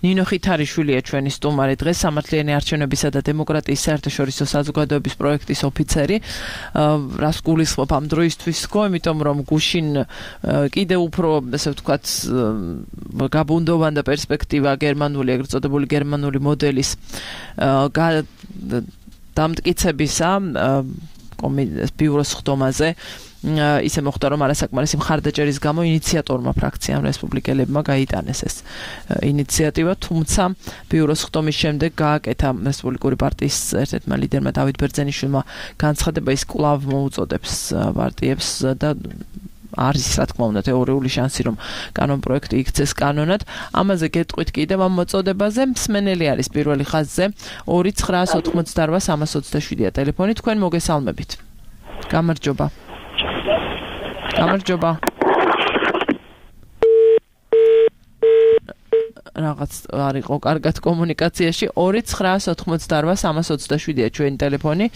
ნინო ხითარიშვილია ჩვენი სტუმარი დღეს, სამართლიანი არჩევნებისა და დემოკრატიის საერთაშორისო საზოგადოების პროექტის ოფიცერი. რას გულისხმობ ამ დროისთვის ხო, იმიტომ რომ გუშინ კიდე უფრო, ესე ვთქვათ, გაბუნდოვანდა პერსპექტივა გერმანული, ეგრეთ წოდებული გერმანული მოდელის დამტკიცებისა ბიუროს ხდომაზე. ისე მოხდა რომ არასაკმარისი მხარდაჭერის გამო ინიციატორმა ფრაქციამ რესპუბლიკელებმა გაიტანეს ეს ინიციატივა, თუმცა ბიუროს ხდომის შემდეგ გააკეთა რესპუბლიკური პარტიის ერთ-ერთმა ლიდერმა დავით ბერძენიშვილმა განცხადება, ის კვლავ მოუწოდებს პარტიებს და არის რა თქმა უნდა თეორიული შანსი რომ კანონპროექტი იქცეს კანონად. ამაზე გეტყვით კიდევ ამ მოწოდებაზე. მსმენელი არის პირველი ხაზზე ორი ცხრაას ოთხმოცდაოთხ სამას ოცდაშვიდია ტელეფონი. თქვენ მოგესალმებით. გამარჯობა. გამარჯობა. რაღაც არ იყო კარგად კომუნიკაციაში. ორი ცხრაას ოთხმოცდაოთხ სამას ოცდაშვიდია ჩვენი ტელეფონი.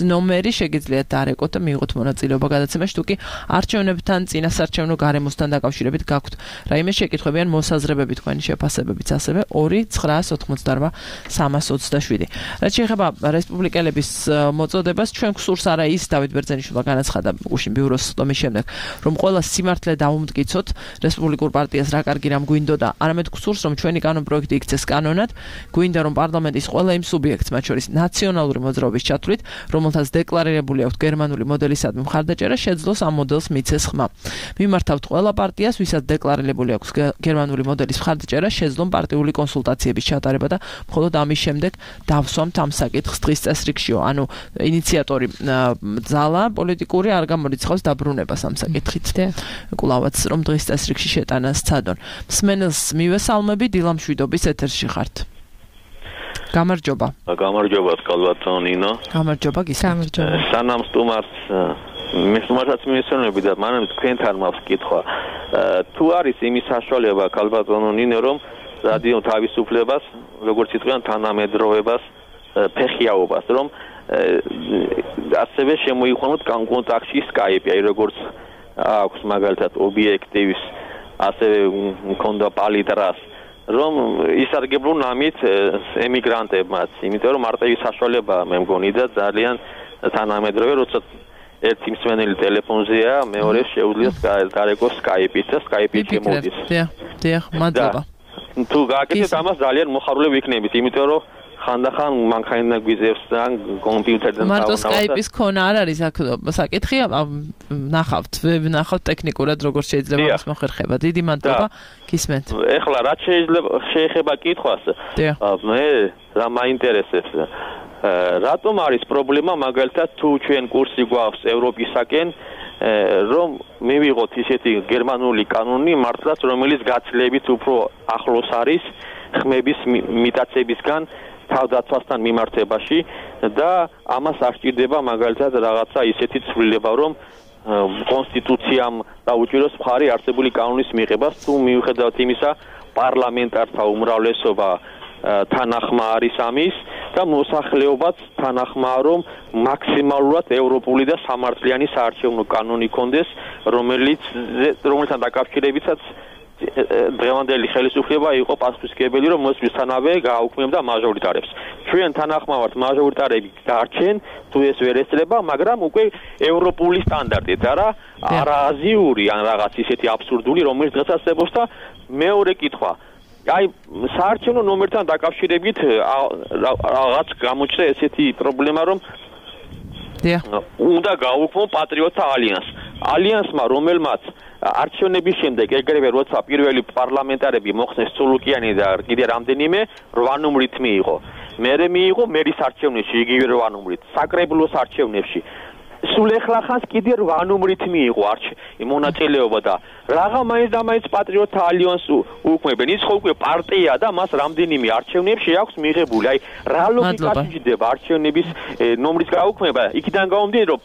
ნომერი შეგიძლიათ დაარეკოთ და მიიღოთ მონაწილეობა გადაცემაში, თუ კი არჩევნებთან, წინასარჩევნო გარემოსთან დაკავშირებით გაქვთ რაიმე შეკითხვები ან მოსაზრებები, თქვენი შეფასებებიც ასევე ორი ცხრაას ოთხმოცდაოთხ სამას ოცდაშვიდი. რაც შეეხება რესპუბლიკელების მოწოდებას, ჩვენ გსურს არა ის დავით ბერძენიშვილმა განაცხადა გუშინ ბიუროს ხდომის შემდეგ, რომ ყველა სიმართლე დაუმტკიცოთ რესპუბლიკურ პარტიას რა კარგი რამ გვინდოდა, არამედ გსურს რომ ჩვენი კანონპროექტი იქცეს კანონად, გვინდა რომ პარლამენტის ყველა იმ სუბიექტს, მათ შორის ნაციონალური მოძრაობის ჩათვლით, რომელთაც დეკლარირებული აქვს გერმანული მოდელისადმი მხარდაჭერა, შეძლოს ამ მოდელს მიცეს ხმა. მიმართავთ ყველა პარტიას, ვისაც დეკლარირებული აქვს გერმანული მოდელის მხარდაჭერა, შეძლონ პარტიული კონსულტაციების ჩატარება და მხოლოდ ამის შემდეგ დავსვამთ ამ საკითხს დღის წესრიგშიო. ანუ ინიციატორი ძალა პოლიტიკური არ გამორიცხავს დაბრუნებას ამ საკითხით. კვლავაც რომ დღის წესრიგში შეტანა სცადონ. მსმენელს მივესალმები, დილამშვიდობის ეთერში ხართ. გამარჯობა. გამარჯობა, კალბატონ ნინო. გამარჯობა, გისმენთ. სანამ სტუმარს მე სტუმარსაც მივესალმები და მანამ თქვენთან მაქვს კითხვა. თუ არის იმის საშუალება კალბატონ ნინო, რომ რადიო თავისუფლებას, როგორც იტყვიან, თანამედროვეობას, ფეხიაობას, რომ ასევე შემოიყვანოთ კონტაქტში Skype-ი, აი როგორც აქვს მაგალითად ობიექტივის, ასევე მქონდა პალიტრას, რომ ისარგებლონ ამით ემიგრანტებმაც, იმიტომ რომ მარტივი საშუალება მე მგონი და ძალიან თანამედროვე, როცა ერთი მსმენელი ტელეფონზეა, მეორე შეუძლია დარეკოს Skype-ით და Skype-ით შემოდის. დიახ, დიახ, მადლობა. თუ გააკეთეთ ამას ძალიან მოხარული ვიქნებით, იმიტომ რომ ხანდახან მანქანა გვიზევს და კომპიუტერიდან დავანავთ. მარტო Skype-ის ქონა არ არის აქ საკითხი, ნახავთ, ნახავთ ტექნიკურად როგორ შეიძლება მას მოხერხება. დიდი მადლობა, გისმენთ. ეხლა რაც შეიძლება შეეხება კითხვას, მე რა მაინტერესებს, რატომ არის პრობლემა მაგალითად თუ ჩვენ კურსი გვაქვს ევროპისაკენ, რომ მივიღოთ ისეთი გერმანული კანონი მართლაც, რომელიც გაცილებით უფრო ახლოს არის ხმების მიტაცებისგან თავდაცვასთან მიმართებაში და ამას არ სჭირდება მაგალითად რაღაცა ისეთი ცვლილება, რომ კონსტიტუციამ დაუჭიროს მხარი არსებული კანონის მიღებას, თუ მიუხედავად იმისა პარლამენტართა უმრავლესობა თანახმა არის ამის და მოსახლეობაც თანახმაა, რომ მაქსიმალურად ევროპული და სამართლიანი საარჩევნო კანონი კონდეს, რომელიც რომელთან დაკავშირებითაც დღევანდელი ხელისუფლება იყო პასუხისმგებელი, რომ მოსვლისთანავე გააუქმებდა მაჟორიტარებს. ჩვენ თანახმა ვართ მაჟორიტარები დარჩენ, თუ ეს ვერ ესწრება, მაგრამ უკვე ევროპული სტანდარტით, არა არაზიური ან რაღაც ისეთი აბსურდული, რომელიც დღესაც და მეორე კითხვა. აი საარჩევნო ნომერთან დაკავშირებით რაღაც გამოჩნდა ესეთი პრობლემა, რომ უნდა გააუქმო პატრიოტთა ალიანსი. ალიანსმა, რომელმაც არჩევნების შემდეგ ეგრევე როცა პირველი პარლამენტარები მოხსნეს სულუკიანი და კიდე რამდენიმე რვა ნომრით მიიღო. მერე მიიღო მერის არჩევნებში იგივე რვა ნომრით, საკრებულოს არჩევნებში. სულ ეხლა ხანს კიდე რვა ნომრით მიიღო მონაწილეობა და რაღა მაინც და მაინც პატრიოტთა ალიანსს უქმებენ. ის ხო უკვე პარტია და მას რამდენიმე არჩევნებში აქვს მიღებული. აი რა ლოგიკაში ჯდება არჩევნების ნომრის გაუქმება? იქიდან გამომდინარე, რომ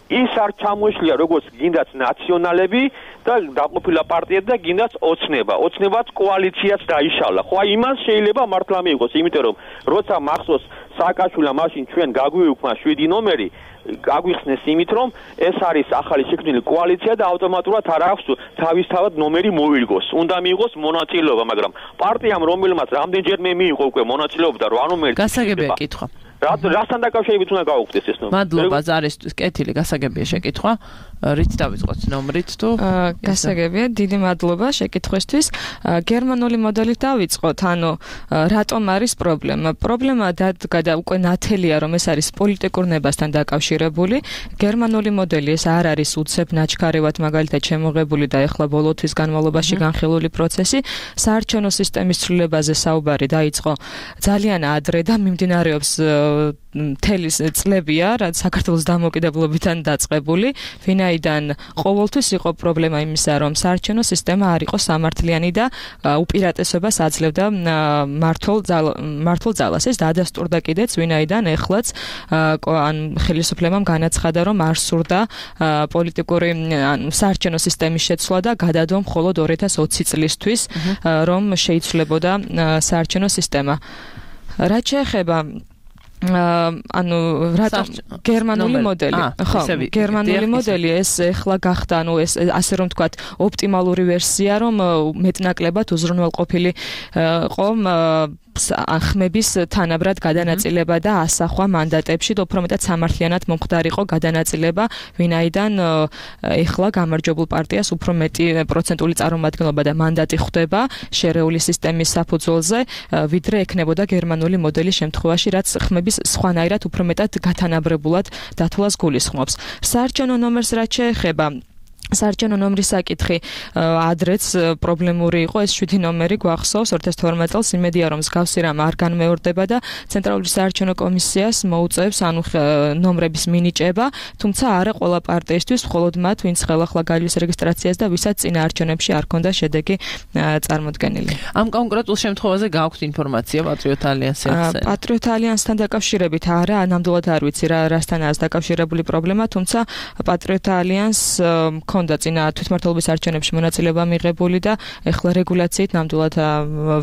ის არ ჩამოშლია როგორც გინდაც ნაციონალები და დაყოფილა პარტიები და გინდაც ოცნება. ოცნებაც კოალიციაც დაიშალა. ხო აი იმას შეიძლება მართლა მიიღოს, იმიტომ რომ როცა მახსოვს სააკაშვილა მაშინ ჩვენ გაგვიუქმა შვიდი ნომერი გაგვიხსნეს იმით რომ ეს არის ახალი შექმნილი კოალიცია და ავტომატურად არ აქვს თავისთავად ნომერი მოიგოს. უნდა მიიღოს მონაწილეობა, მაგრამ პარტიამ რომელმაც რამდენჯერმე მიიღო უკვე მონაწილეობა და რვა ნომერი გასაგებია კითხვა. რასთან დაკავშირებით უნდა გაუქმდეს ეს ნომერი? მადლობა ზარისთვის, კეთილი გასაგებია შეკითხვა. რით დავიწყოთ ნომრით თუ? გასაგებია, დიდი მადლობა შეკითხვისთვის. გერმანული მოდელით დავიწყოთ, ანუ რატომ არის პრობლემა? პრობლემა და უკვე ნათელია, რომ ეს არის პოლიტიკურ ნებასთან დაკავშირებული. გერმანული მოდელი ეს არ არის უცებ ნაჩქარევად მაგალითად შემოღებული და ეხლა ბოლო თვის განმავლობაში განხილული პროცესი. საარჩევნო სისტემის ცვლილებაზე საუბარი დაიწყო ძალიან ადრე და მიმდინარეობს მთელი წლებია, რაც საქართველოს დამოუკიდებლობიდან დაწყებული, ვინაიდან ყოველთვის იყო პრობლემა იმისა, რომ საარჩევნო სისტემა არ იყო სამართლიანი და უპირატესობას აძლევდა მართლ მართლ ძალას. ეს დადასტურდა კიდეც, ვინაიდან ეხლაც ან ხელისუფლებამ განაცხადა, რომ არ სურდა პოლიტიკური საარჩევნო სისტემის შეცვლა და გადადო მხოლოდ ორი ათას ოცი წლისთვის, რომ შეიცვლებოდა საარჩევნო სისტემა. რაც შეეხება ანუ რატომ გერმანული მოდელი? ხო, გერმანული მოდელი ეს ეხლა გახდა, ანუ ეს ასე რომ ვთქვათ, ოპტიმალური ვერსია, რომ მეტნაკლებად უზრუნველყოფილი ყო ხმების თანაბრად გადანაწილება და ასახვა მანდატებში და უფრო მეტად სამართლიანად მომხდარიყო გადანაწილება, ვინაიდან ეხლა გამარჯვებულ პარტიას უფრო მეტი პროცენტული წარმომადგენლობა და მანდატი ხვდება შერეული სისტემის საფუძველზე, ვიდრე ექნებოდა გერმანული მოდელის შემთხვევაში, რაც ხმების სხვანაირად უფრო მეტად გათანაბრებულად დათვლას გულისხმობს. საარჩევნო ნომერს რაც შეეხება საარჩევნო ნომრის საკითხი ადრეც პრობლემური იყო, ეს შვიდი ნომერი გვახსოვს ორი ათას თორმეტ წელს, იმედია რომ მსგავსი რამ არ განმეორდება და ცენტრალური საარჩევნო კომისიას მოუწევს ანუ ნომრების მინიჭება, თუმცა არა ყველა პარტიისთვის, მხოლოდ მათ, ვინც ხელახლა გაივლის რეგისტრაციას და ვისაც წინა არჩევნებში არ ჰქონდა შედეგი წარმოდგენილი. ამ კონკრეტულ შემთხვევაზე გააქვთ ინფორმაცია პატრიოტ ალიანსთან? პატრიოტ ალიანსთან დაკავშირებით არა, ნამდვილად არ ვიცი რა რასთანაა დაკავშირებული პრობლემა, თუმცა პატრიოტ ალიანსს და წინა თვითმმართველობის არჩევნებში მონაწილეობა მიღებული და ეხლა რეგულაციით ნამდვილად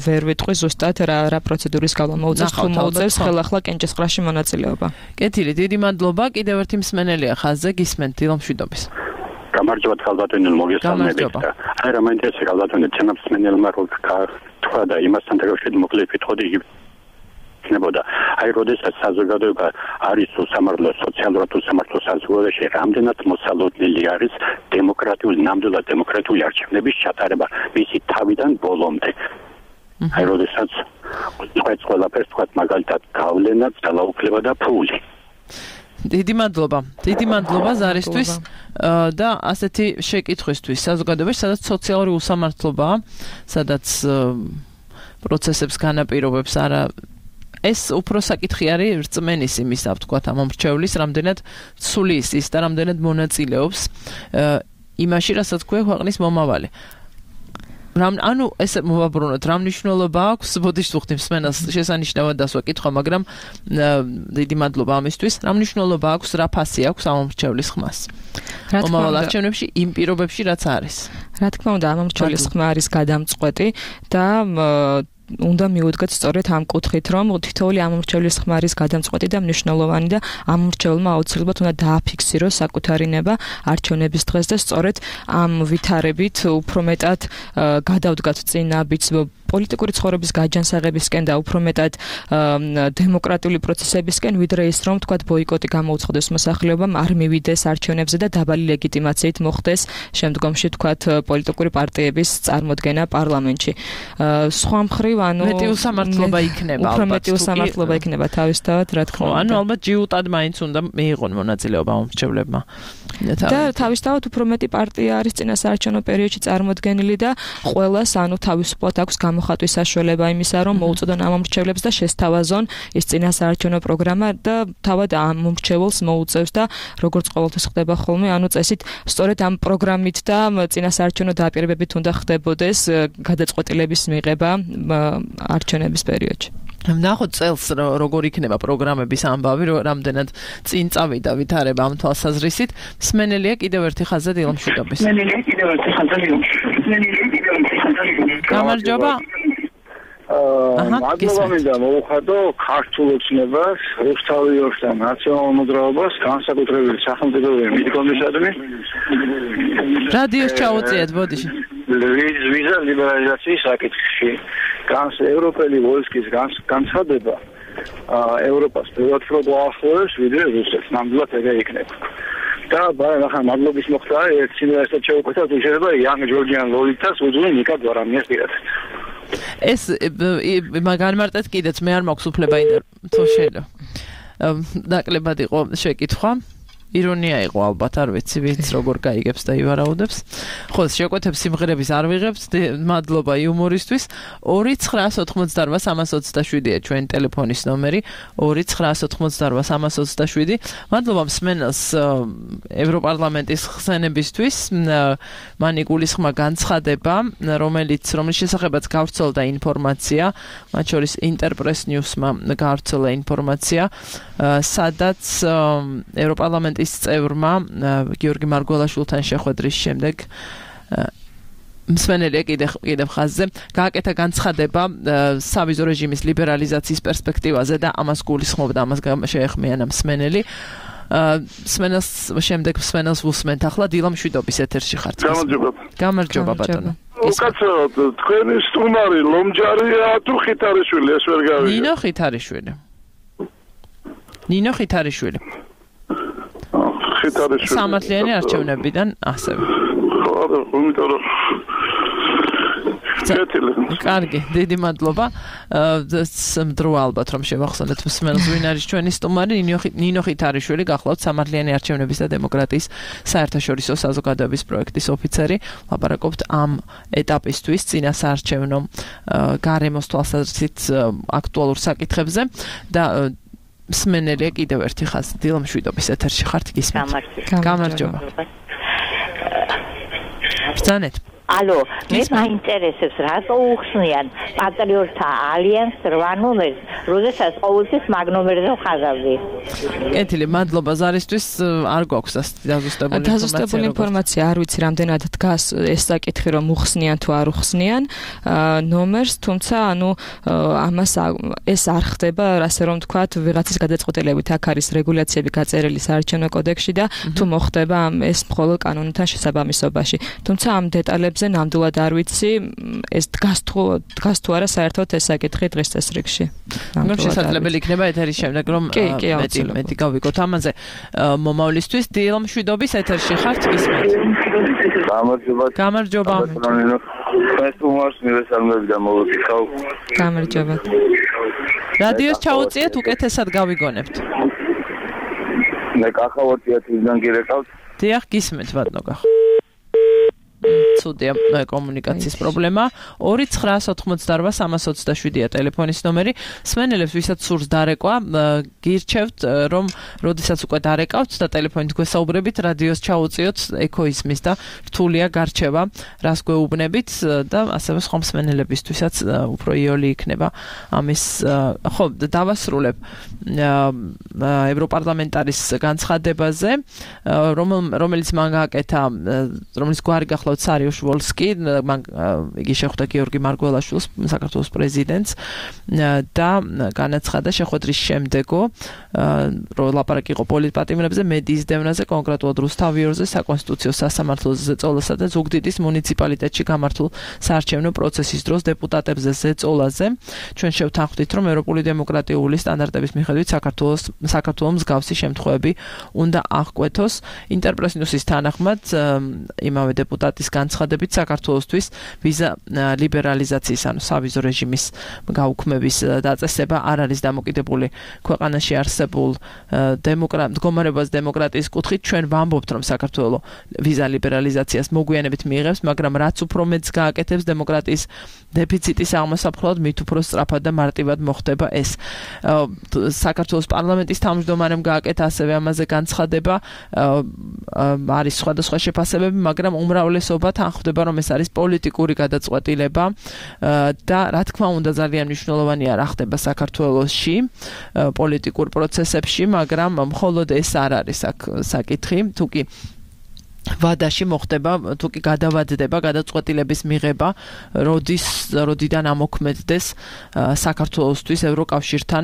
ვერ ვიტყვი ზუსტად რა რა პროცედურის გავლა მოუწევს თუ მოუწევს ხელახლა კენჭისყრაში მონაწილეობა. კეთილი, დიდი მადლობა. კიდევ ერთი მსმენელია ხაზზე, გისმენთ დილომშვიდობის. გამარჯობა თალბატონო, მოგესალმებით. აი რა მაინტერესებს თალბატონო, ჩემს მსმენელმა რო თქვა და იმასთან დაკავშირებით მოკლედ ვიტყოდი იქნებოდა. აი როდესაც საზოგადოება არის უსამართლო, სოციალურად უსამართლო საზოგადოებაში, რამდენად მოსალოდნელი არის დემოკრატიული, ნამდვილად დემოკრატიული არჩევნების ჩატარება მისი თავიდან ბოლომდე. აი როდესაც ყვეც ყველაფერს თქვათ მაგალითად გავლენა, ძალაუფლება და ფული. დიდი მადლობა. დიდი მადლობა ზარისთვის და ასეთი შეკითხვისთვის საზოგადოებაში, სადაც სოციალური უსამართლობაა, სადაც პროცესებს განაპირობებს არა ეს უფრო საკითხი არის რწმენის იმისა, ვთქვათ, ამ მომრჩევლის, რამდენად ცulis ის და რამდენად მონაწილეობს იმაში, რასაც ქვია ქვეყნის მომავალი. ანუ ესე მოვაბრუნოთ, რა მნიშვნელობა აქვს, ბოდიშ ვუხდი მსმენელს შესანიშნავად დასვა კითხვა, მაგრამ დიდი მადლობა ამისთვის. რა მნიშვნელობა აქვს, რა ფასი აქვს ამ მომრჩევლის ხმას? მომავალ არჩევნებში იმ პირობებში რაც არის. რა თქმა უნდა, ამ მომრჩევლის ხმა არის გადამწყვეტი და უნდა მიუდგეთ სწორედ ამ კუთხით, რომ თითოეული ამომრჩევლის ხმა არის გადამწყვეტი და მნიშვნელოვანი და ამომრჩევლმა აუცილებლად უნდა დააფიქსიროს საკუთარი ნება არჩევნების დღეს და სწორედ ამ ვითარებით უფრო მეტად გადავდგათ წინა ბიც პოლიტიკური ცხოვრების გაჯანსაღებისკენ და უფრო მეტად დემოკრატიული პროცესებისკენ, ვიდრე ის რომ თქვათ ბოიკოტი გამოუცხადეს მოსახლეობამ, არ მივიდეს არჩევნებზე და დაბალი ლეგიტიმაციით მოხდეს შემდგომში თქვათ პოლიტიკური პარტიების წარმოდგენა პარლამენტში. სხვა მხრივ ანუ მეტი უსამართლობა იქნება ალბათ. უფრო მეტი უსამართლობა იქნება თავისთავად, რა თქმა უნდა. ანუ ალბათ ჯიუტად მაინც უნდა მიიღონ მონაწილეობა მომრჩევლებმა. და თავისთავად უფრო მეტი პარტია არის წინა საარჩევნო პერიოდში წარმოდგენილი და ყველას ანუ თავისუფლად აქვს მოხატვის საშუალება იმისა, რომ მოუწოდონ ამ მომრჩევლებს და შესთავაზონ ის წინა საარჩევნო პროგრამა და თავად ამ მომრჩეველს მოუწევს და როგორც ყოველთვის ხდება ხოლმე, ანუ წესით სწორედ ამ პროგრამით და წინა საარჩევნო დააპირებებით უნდა ხდებოდეს გადაწყვეტილების მიღება არჩევნების პერიოდში. ნახოთ წელს როგორ იქნება პროგრამების ამბავი, რამდენად წინ წავიდა ვითარება ამ თვალსაზრისით. მსმენელია კიდევ ერთი ხაზზე დილომშვიდობის. მსმენელია კიდევ ერთი ხაზზე დილომშვიდობის. გამარჯობა. მადლობა მინდა მოუხადო ქართულ ოცნებას, რუსთავიორს და ნაციონალურ მოძრაობას, განსაკუთრებით სახელმწიფოებრივი მითქონდისადმი. რადიოს ჩაუწიეთ, ბოდიში. ვიზა ლიბერალიზაციის საკითხში, განს ევროპელი ვოისკის განცხადება ევროპას პირველად უფრო გვაახლოვებს, ვიდრე რუსეთს. ნამდვილად ეგრე იქნება. და ახლა მადლობის მოხდა ერთ სიმღერასაც შევკვეთა, თუ შეიძლება იანგ ჯორჯიან ლოლიტას უძღვი ნიკა გვარამიას პირადად. ეს განმარტეთ კიდეც მე არ მაქვს უფლება ინტერვიუ შეიძლება. ნაკლებად იყო შეკითხვა. ირონია იყო ალბათ, არ ვიცი, ვინც როგორ გაიგებს და ივარაუდებს. ხო, შეკვეთებს სიმღერების არ ვიღებთ. მადლობა იუმორისთვის. ორი ცხრა ოთხმოცდაოთხ სამას ოცდაშვიდია ჩვენი ტელეფონის ნომერი. ორი ცხრა ოთხმოცდაოთხ სამას ოცდაშვიდი. მადლობა მსმენელს ევროპარლამენტის ხსენებისთვის. მან იგულისხმა განცხადება, რომელიც რომლის შესახებაც გავრცელდა ინფორმაცია, მათ შორის ინტერპრეს ნიუსმა გავრცელა ინფორმაცია, სადაც ევროპარლამენტის ის წევრმა გიორგი მარგველაშვილთან შეხვედრის შემდეგ მსმენელია კიდევ კიდევ ხაზზე გააკეთა განცხადება სავიზო რეჟიმის ლიბერალიზაციის პერსპექტივაზე და ამას გულისხმობდა, ამას შეეხმიანა მსმენელი. მსმენელს შემდეგ მსმენელს ვუსმენთ ახლა დილა მშვიდობის ეთერში ხართ. გამარჯობა. გამარჯობა ბატონო. უკაცრავად თქვენი სტუმარი ლომჯარია თუ ხითარიშვილი ეს ვერ გავიგე. ნინო ხითარიშვილი. ნინო ხითარიშვილი. სამართლიანი არჩევნებიდან ასევე. კარგი, დიდი მადლობა. მდრო ალბათ რომ შევახსენეთ მსმენელს ვინ არის ჩვენი სტუმარი, ნინო ხითარიშვილი, გახლავთ სამართლიანი არჩევნების და დემოკრატიის საერთაშორისო საზოგადოების პროექტის ოფიცერი. ლაპარაკობთ ამ ეტაპისთვის წინა საარჩევნო გარემოს თვალსაზრისით აქტუალურ საკითხებზე და მსმენელია კიდევ ერთი ხაზი. დილა მშვიდობის ეთერში ხართ გისმენთ. გამარჯობა. ბრძანეთ. ალო, მე მაინტერესებს რატო უხსნიან პატრიოტთა ალიანსს რვა ნომერს, როდესაც ყოველთვის მაგ ნომერზე ხაზავდი. კეთილი, მადლობა ზარისთვის, არ გვაქვს დაზუსტებული ინფორმაცია. დაზუსტებული ინფორმაცია არ ვიცი რამდენად დგას ეს საკითხი რომ უხსნიან თუ არ უხსნიან ნომერს, თუმცა ანუ ამას ეს არ ხდება, ასე რომ ვთქვათ, ვიღაცის გადაწყვეტილებით აქ არის რეგულაციები გაწერილი საარჩევნო კოდექსში და თუ მოხდება ეს მხოლოდ კანონთან შესაბამისობაში. თუმცა ამ დეტალებს ნამდვილად არ ვიცი, ეს დგას თუ დგას თუ არა საერთოდ ეს საკითხი დღეს წესრიგში. მაგრამ შესაძლებელი იქნება ეთერის შემდეგ რომ მეტი მეტი გავიგოთ ამაზე. მომავლისთვის დილა მშვიდობის ეთერში ხართ გისმენთ. გამარჯობა. გამარჯობა. ეს უმარს მივესალმები და მოვიკითხავ. გამარჯობა. რადიოს ჩაუწიეთ, უკეთესად გავიგონებთ. მე კახავარდია თვითონ გირეკავთ. დიახ, გისმენთ ბატონო კახა. ცუდია კომუნიკაციის პრობლემა. ორი ცხრა ოთხმოცდაოთხ სამას ოცდაშვიდია ტელეფონის ნომერი. მსმენელებს ვისაც სურს დარეკვა, გირჩევთ რომ როდესაც უკვე დარეკავთ და ტელეფონით გვესაუბრებით, რადიოს ჩაუწიოთ, ეკოიზმის და რთულია გარჩევა, რას გვეუბნებით და ასევე სხვა მსმენელებისთვისაც უფრო იოლი იქნება ამის. ხო, დავასრულებ ევროპარლამენტარის განცხადებაზე, რომელიც მან გააკეთა, რომელიც გვარი გახლავთ სარიუშ ვოლსკი, იგი შეხვდა გიორგი მარგველაშვილს, საქართველოს პრეზიდენტს და განაცხადა შეხვედრის შემდეგო, რომ ლაპარაკი იყო პოლიტპატიმრებზე, მედიის დევნაზე, კონკრეტულად რუსთავიორზე, საკონსტიტუციო სასამართლოზე ზეწოლასა და ზუგდიდის მუნიციპალიტეტში გამართულ საარჩევნო პროცესის დროს დეპუტატებზე ზეწოლაზე. ჩვენ შევთანხმდით, რომ ევროპული დემოკრატიული სტანდარტების მიხედვით საქართველოს საქართველოს მსგავსი შემთხვევები უნდა აღკვეთოს. ინტერპრეს ნიუსის თანახმად იმავე დეპუტატის განცხადებით საქართველოსთვის ვიზა ლიბერალიზაციის, ანუ სავიზო რეჟიმის გაუქმების დაწესება არ არის დამოკიდებული ქვეყანაში არსებულ მდგომარეობას დემოკრატიის კუთხით. ჩვენ ვამბობთ, რომ საქართველოს ვიზა ლიბერალიზაციას მოგვიანებით მიიღებს, მაგრამ რაც უფრო მეტს გააკეთებს დემოკრატიის დეფიციტის აღმოსაფხვრად, მით უფრო სწრაფად და მარტივად მოხდება ეს. საქართველოს პარლამენტის თავმჯდომარემ გააკეთა ასევე ამაზე განცხადება, არის სხვადასხვა შეფასებები, მაგრამ უმრავლესობა თანხმდება, რომ ეს არის პოლიტიკური გადაწყვეტილება და რა თქმა უნდა ძალიან მნიშვნელოვანია რა ხდება საქართველოში პოლიტიკურ პროცესებში, მაგრამ მხოლოდ ეს არ არის აქ საკითხი, თუკი ვადაში მოხდება თუ კი გადავადდება გადაწყვეტილების მიღება როდის როდიდან ამოქმედდეს საქართველოსთვის ევროკავშირთან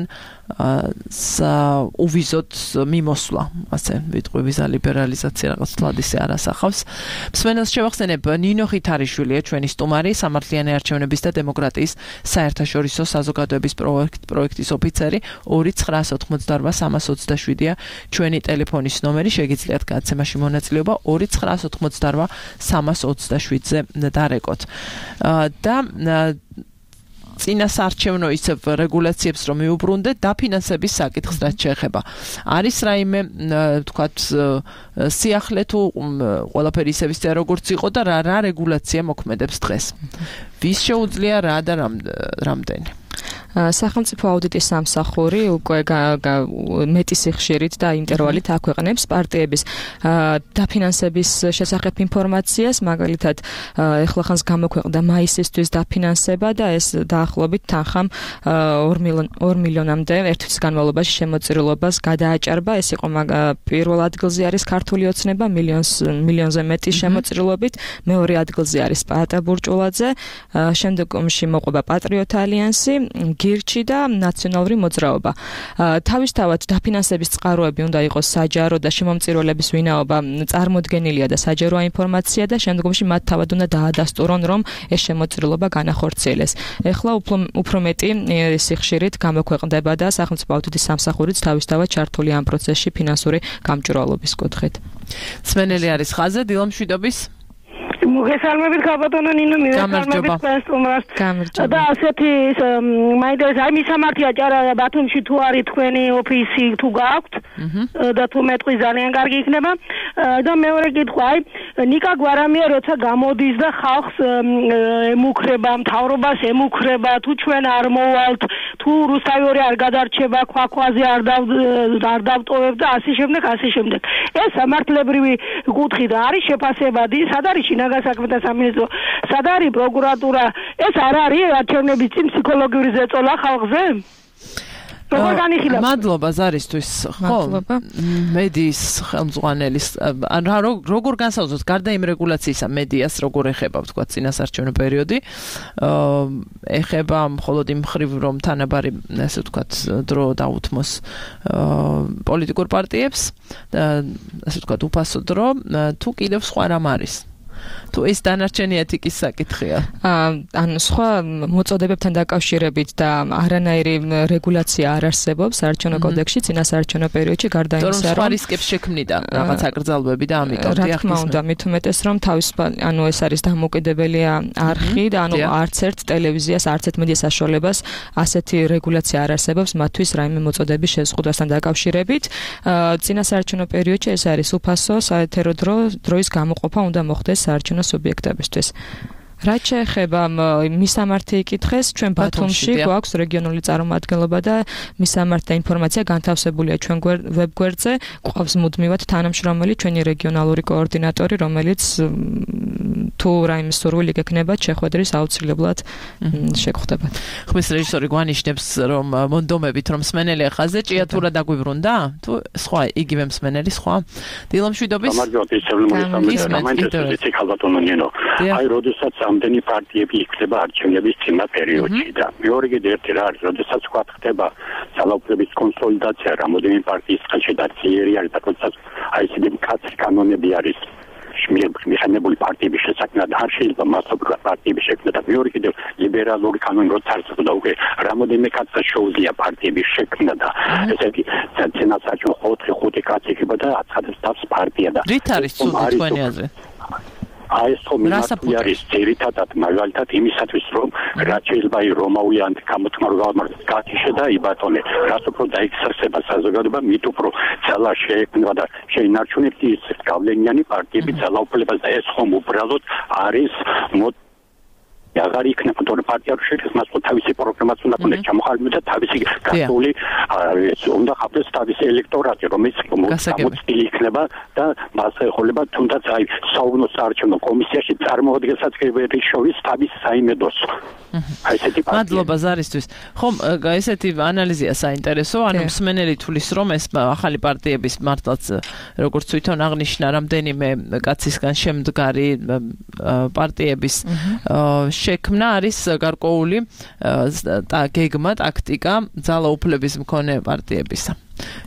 უვიზოთ მიმოსვლა ასე ვიტყვი ვიზა ლიბერალიზაცია რაღაც თლადისე არ ასახავს მსმენელს შევახსენებ ნინო ხითარიშვილია ჩვენი სტუმარი სამართლიანი არჩევნების და დემოკრატიის საერთაშორისო საზოგადოების პროექტის ოფიცერი ორი ცხრაას ოთხმოცდაორვა სამას ოცდაშვიდია ჩვენი ტელეფონის ნომერი შეგიძლიათ გადაცემაში მონაწილეობა ორი ცხრაას ოთხმოცდაორვა სამას ოცდაშვიდზე დარეკოთ და წინასარჩევნო ისევ რეგულაციებს რომ მიუბრუნდეთ დაფინანსების საკითხს რაც შეეხება არის რაიმე თქვათ სიახლე თუ ყველაფერი ისევ ისე როგორც იყო და რა რა რეგულაცია მოქმედებს დღეს ვის შეუძლია რა და რამდენი სახელმწიფო აუდიტის სამსახური უკვე მეტი სიხშირით და ინტერვალით აქვეყნებს პარტიების დაფინანსების შესახებ ინფორმაციას, მაგალითად, ეხლახანს გამოქვეყნდა მაისისთვის დაფინანსება და ეს დაახლოებით თანხამ ორ მილიონამდე ერთ თვის განმავლობაში შემოწირულობას გადააჭარბა. ეს იყო პირველ ადგილზე არის ქართული ოცნება მილიონს მილიონზე მეტი შემოწირულობით, მეორე ადგილზე არის პაატა ბურჭულაძე, შემდგომში მოყვება პატრიოტ ალიანსი, გირჩი და ნაციონალური მოძრაობა. თავისთავად დაფინანსების წყაროები უნდა იყოს საჯარო და შემომწირულების ვინაობა წარმოდგენილია და საჯაროა ინფორმაცია და შემდგომში მათ თავად უნდა დაადასტურონ, რომ ეს შემოწირულობა განახორციელეს. ეხლა უფრო მეტი სიხშირით გამოქვეყნდება და სახელმწიფო აუდიტის სამსახურიც თავისთავად ჩართული ამ პროცესში ფინანსური გამჭვირვალობის კუთხით. მსმენელი არის ხაზზე დილამშვიდობის მოგესალმებით ქალბატონო ნინო მივესალმებით სტუმრას და ასეთი მაინტერესებს აი მისამართია ჭარა ბათუმში თუ არის თქვენი ოფისი თუ გააქვთ და თუ მეტყვი ძალიან კარგი იქნება და მეორე კითხვა აი ნიკა გვარამია როცა გამოდის და ხალხს ემუქრება მთავრობას ემუქრება თუ ჩვენ არ მოვალთ თუ რუსთავი არ გადარჩება ქვაქვაზე არ არ დავტოვებ და ასე შემდეგ ასე შემდეგ ეს სამართლებრივი კუთხით არის შეფასებადი სად არის შინაგან საქმეთა სამინისტრო სად არის პროკურატურა ეს არ არის არჩევნების წინ ფსიქოლოგიური ზეწოლა ხალხზე როგორ განიხილავთ მადლობა ზარისთვის ხო მედიის ხელმძღვანელის რა როგორ განსაზღვროთ გარდა იმ რეგულაციისა მედიას როგორ ეხება თქვა წინასარჩევნო პერიოდი ეხება მხოლოდ იმ ხრივ რომ თანაბარი ასე ვთქვათ დრო დაუთმოს პოლიტიკურ პარტიებს ასე ვთქვათ უფასო დრო თუ კიდევ სხვა რამ არის თუ ეს დანარჩენი ეთიკის საკითხია. ანუ სხვა მოწოდებებთან დაკავშირებით და არანაირი რეგულაცია არ არსებობს საარჩევნო კოდექსში წინასაარჩევნო პერიოდში გარდა იმისა, რომ რისკებს შექმნიდა რაღაც აკრძალვები და ამიტომ რა თქმა უნდა, მით უმეტეს რომ თავისუფალ ანუ ეს არის დამოუკიდებელი არხი და ანუ არც ერთ ტელევიზიას, არც ერთ მედია საშუალებას ასეთი რეგულაცია არ არსებობს მათთვის რაიმე მოწოდების შეზღუდვასთან დაკავშირებით. წინასაარჩევნო პერიოდში ეს არის უფასო საეთერო დრო დროის გამოყოფა უნდა მოხდეს საარჩევნო სუბიექტებისთვის. რაც შეეხება მისამართი იკითხეს, ჩვენ ბათუმში გვაქვს რეგიონული წარმომადგენლობა და მისამართი ინფორმაცია განთავსებულია ჩვენ ვებგვერდზე, გვყავს მუდმივად თანამშრომელი ჩვენი რეგიონალური კოორდინატორი, რომელიც თუ რაიმე სურვილი გექნებათ, შეხვედრის აუცილებლად შეგხვდებათ. ხმის რეჟისორი გვანიშნებს, რომ მონდომებით რომ მსმენელი ხაზზე ჭიათურა დაგვიბრუნდა? თუ სხვა იგივე მსმენელი სხვა? დილამშვიდობის. გამარჯობა, ისევ მომისმენთ ქალბატონო ნინო. აი, როდესაც ამდენი პარტიები იქნება არჩევნების წინა პერიოდში და მეორე კიდე ერთი რა არის, როდესაც თქვა ხდება ძალაუფლების კონსოლიდაცია, რამოდენიმე პარტიის ხელში დაციერი არის და როდესაც აი ესეთი მკაცრი კანონები არის მიხანებული პარტიების შესაქმნად არ შეიძლება მასობრივად პარტიების შექმნა და მეორე კიდევ ლიბერალური კანონი როცა არსებობდა უკვე რამოდენიმე კაცს შეუძლია პარტიების შექმნა და ესეთი წინასაარჩევნო ოთხი ხუთი კაცი იქნება და აცხადებს თავს პარტია და რით არის ცუდი თქვენი აზრით? აი ეს ხომ არის ძირითადად მაგალითად იმისათვის რომ რაც შეიძლება აი რომაული ანტიკამოთმარგავ გათიშე და იბატონე რაც უფრო დაექსერსება საზოგადოება მით უფრო ძალა შეექმნა და შეინარჩუნებს ის გავლენიანი პარტიები ძალაუფლებას და ეს ხომ უბრალოდ არის აღარ იქნება თორე პარტია რო შეიძლება მას თავისი პროგრამაც უნდა ქონდეს ჩამოყალიბებული და თავისი გასული უნდა ხდეს თავისი ელექტორატი რომელიც გამოცდილი იქნება და მას ეხება თუნდაც აი საუბნო საარჩევნო კომისიაში წარმოადგენსაცგებელი შორის თავის საიმედოს აი ესეთი პარტია მადლობა ზარისთვის ხომ ესეთი ანალიზია საინტერესო ანუ მსმენელი თulis რომ ეს ახალი პარტიების მართლაც როგორც თვითონ აღნიშნა რამდენიმე კაცისგან შემდგარი პარტიების შექმნა არის გარკვეული გეგმა ტაქტიკა ძალაუფლების მქონე პარტიებისა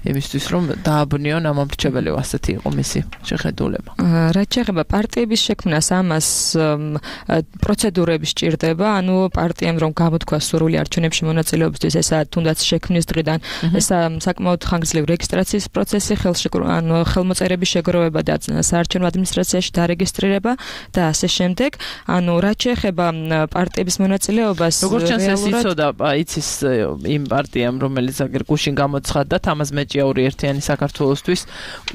იმისთვის რომ დააბნიონ ამ ამრჩეველი ასეთი იყო მისი შეხედულება. რაც შეეხება პარტიების შექმნას ამას პროცედურები სჭირდება, ანუ პარტიამ რომ გამოთქვა სურვილი არჩევნებში მონაწილეობისთვის, ესა თუნდაც შექმნის დღიდან, ესა საკმაოდ ხანგრძლივი რეგისტრაციის პროცესი, ანუ ხელმოწერების შეგროვება და საარჩევნო ადმინისტრაციაში დარეგისტრირება და ასე შემდეგ. ანუ რაც შეეხება პარტიების მონაწილეობას, როგორც ჩანს ეს იცოდა იცის იმ პარტიამ, რომელიც აგერ გუშინ გამოცხადდა ამას მეჭიაური ერთიანი საქართველოსთვის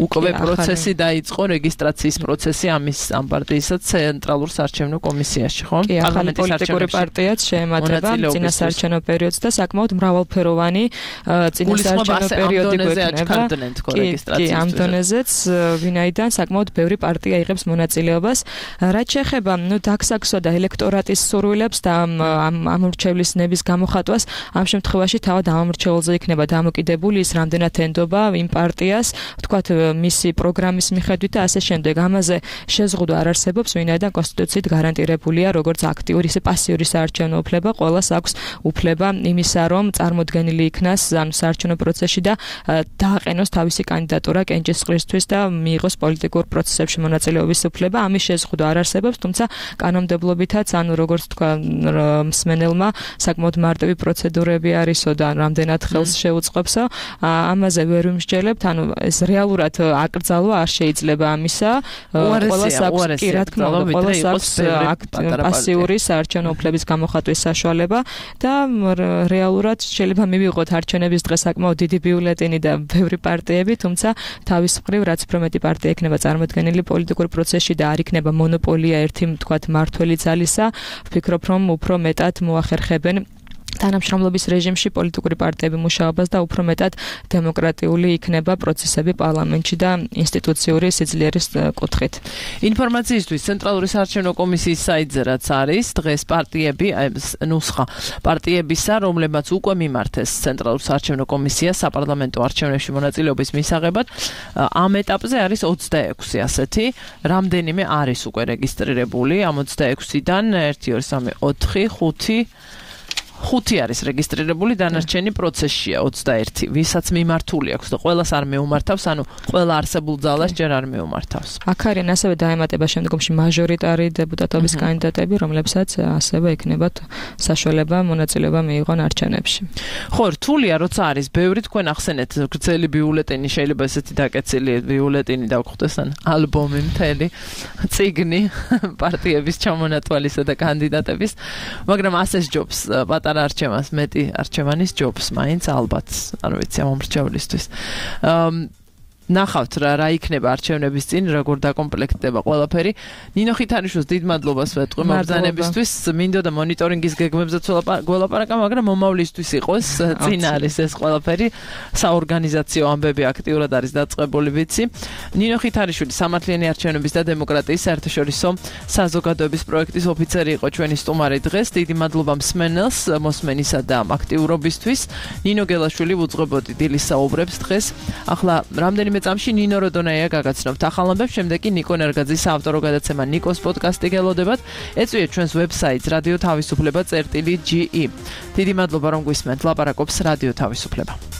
უკვე პროცესი დაიწყო რეგისტრაციის პროცესი ამის ამ პარტიისა ცენტრალურ საარჩევნო კომისიაში, ხო? პარლამენტის პოლიტიკური პარტიაც შეემატება წინასაარჩევნო პერიოდს და საკმაოდ მრავალფეროვანი წინასაარჩევნო პერიოდი გვექნება. კი, ამ დონეზეც ვინაიდან საკმაოდ ბევრი პარტია იღებს მონაწილეობას. რაც შეეხება ნუ დაქსაქსვა და ელექტორატის სურვილებს და ამ ამორჩევლის ნების გამოხატვას, ამ შემთხვევაში თავად ამორჩეულზე იქნება დამოკიდებული ის რამდენად ენდობა იმ პარტიას, ვთქვათ, მისი პროგრამის მიხედვით და ასე შემდეგ. ამაზე შეზღუდვა არ არსებობს, ვინაიდან კონსტიტუციით გარანტირებულია როგორც აქტიური, ისე პასიური საარჩევნო უფლება, ყველას აქვს უფლება იმისა, რომ წარმოდგენილი იქნას ამ საარჩევნო პროცესში და დააყენოს თავისი კანდიდატურა კენჭისყრისთვის და მიიღოს პოლიტიკურ პროცესებში მონაწილეობის უფლება. ამის შეზღუდვა არ არსებობს, თუმცა კანონმდებლობითაც, ანუ როგორც თქვა მსმენელმა, საკმაოდ მარტივი პროცედურები არისო და რამდენად ხელს შეუწყობსო, ამაზე ვერ ვიმსჯელებთ, ანუ ეს რეალურად აკრძალვა არ შეიძლება ამისა. ყველას აქვს, კი, რა თქმა უნდა, ყველას აქვს პასიური საარჩევნო უფლების გამოხატვის საშუალება და რეალურად შეიძლება მივიღოთ არჩევნების დღეს საკმაოდ დიდი ბიულეტენი და ბევრი პარტიები, თუმცა თავის მხრივ რაც უფრო მეტი პარტია იქნება წარმოდგენილი პოლიტიკურ პროცესში და არ იქნება მონოპოლია ერთი, თქვათ, მართველი ძალისა, ვფიქრობ, რომ უფრო მეტად მოახერხებენ თანამშრომლობის რეჟიმში პოლიტიკური პარტიები მუშაობას და უფრო მეტად დემოკრატიული იქნება პროცესები პარლამენტში და ინსტიტუციური სიძლიერის კუთხით. ინფორმაციისთვის ცენტრალური საარჩევნო კომისიის საიტზე რაც არის დღეს პარტიები, ნუსხა პარტიებისა, რომლებმაც უკვე მიმართეს ცენტრალურ საარჩევნო კომისიას საპარლამენტო არჩევნებში მონაწილეობის მისაღებად, ამ ეტაპზე არის ოცდაექვსი ასეთი, რამდენიმე არის უკვე რეგისტრირებული, ამ ოცდაექვსიდან ერთი, ორი, სამი, ოთხი, ხუთი ხუთი არის რეგისტრირებული, დანარჩენი პროცესშია ოცდაერთი, ვისაც მიმართული აქვს და ყველას არ მეუმართავს, ანუ ყველა არსებულ ძალას ჯერ არ მეუმართავს. აქ არიან ასევე დაემატება შემდგომში მაჟორიტარი დეპუტატობის კანდიდატები, რომლებსაც ასევე ექნებათ საშუალება მონაწილეობა მიიღონ არჩევნებში. ხო, რთულია, როცა არის ბევრი, თქვენ ახსენეთ, გრძელი ბიულეტენი, შეიძლება ესეთი დაკეცილი ბიულეტენი დავგვხვდეს, ან ალბომი მთელი, წიგნი პარტიების ჩამონათვალისა და კანდიდატების, მაგრამ ასე ჯობს პატარა არჩევანს მეტი არჩევანის ჯობს მაინც ალბათ არ ვიცი ამ მომრჩევლისთვის ნახავთ რა რა იქნება არჩევნების წინ როგორ დაკომპლექტდება ყველაფერი ნინო ხითანიშვილს დიდ მადლობას ვეთყვი მობრძანებისთვის მინდოდა მონიტორინგის გეგმებზეც გველაპარაკა მაგრამ მომავლისთვის იყოს წინ არის ეს ყველაფერი საორგანიზაციო ამბები აქტიურად არის დაწყებული ვიცი ნინო ხითანიშვილი სამართლიანი არჩევნების და დემოკრატიის საერთაშორისო საზოგადოების პროექტის ოფიცერი იყო ჩვენი სტუმარი დღეს დიდი მადლობა მსმენელს მოსმენისა და აქტიურობისთვის ნინო გელაშვილი უძღვებოდი დილის საუბრებს დღეს ახლა რამდენი მე წამში ნინო როდონაია გაგაცნობთ ახალ ამბებს შემდეგ კი ნიკო ნერგაძის საავტორო გადაცემა ნიკოს პოდკასტი გელოდებათ ეწვიეთ ჩვენს ვებსაიტს რადიო თავისუფლება წერტილი ჯი ი დიდი მადლობა რომ გვისმენთ ლაპარაკობს რადიო თავისუფლება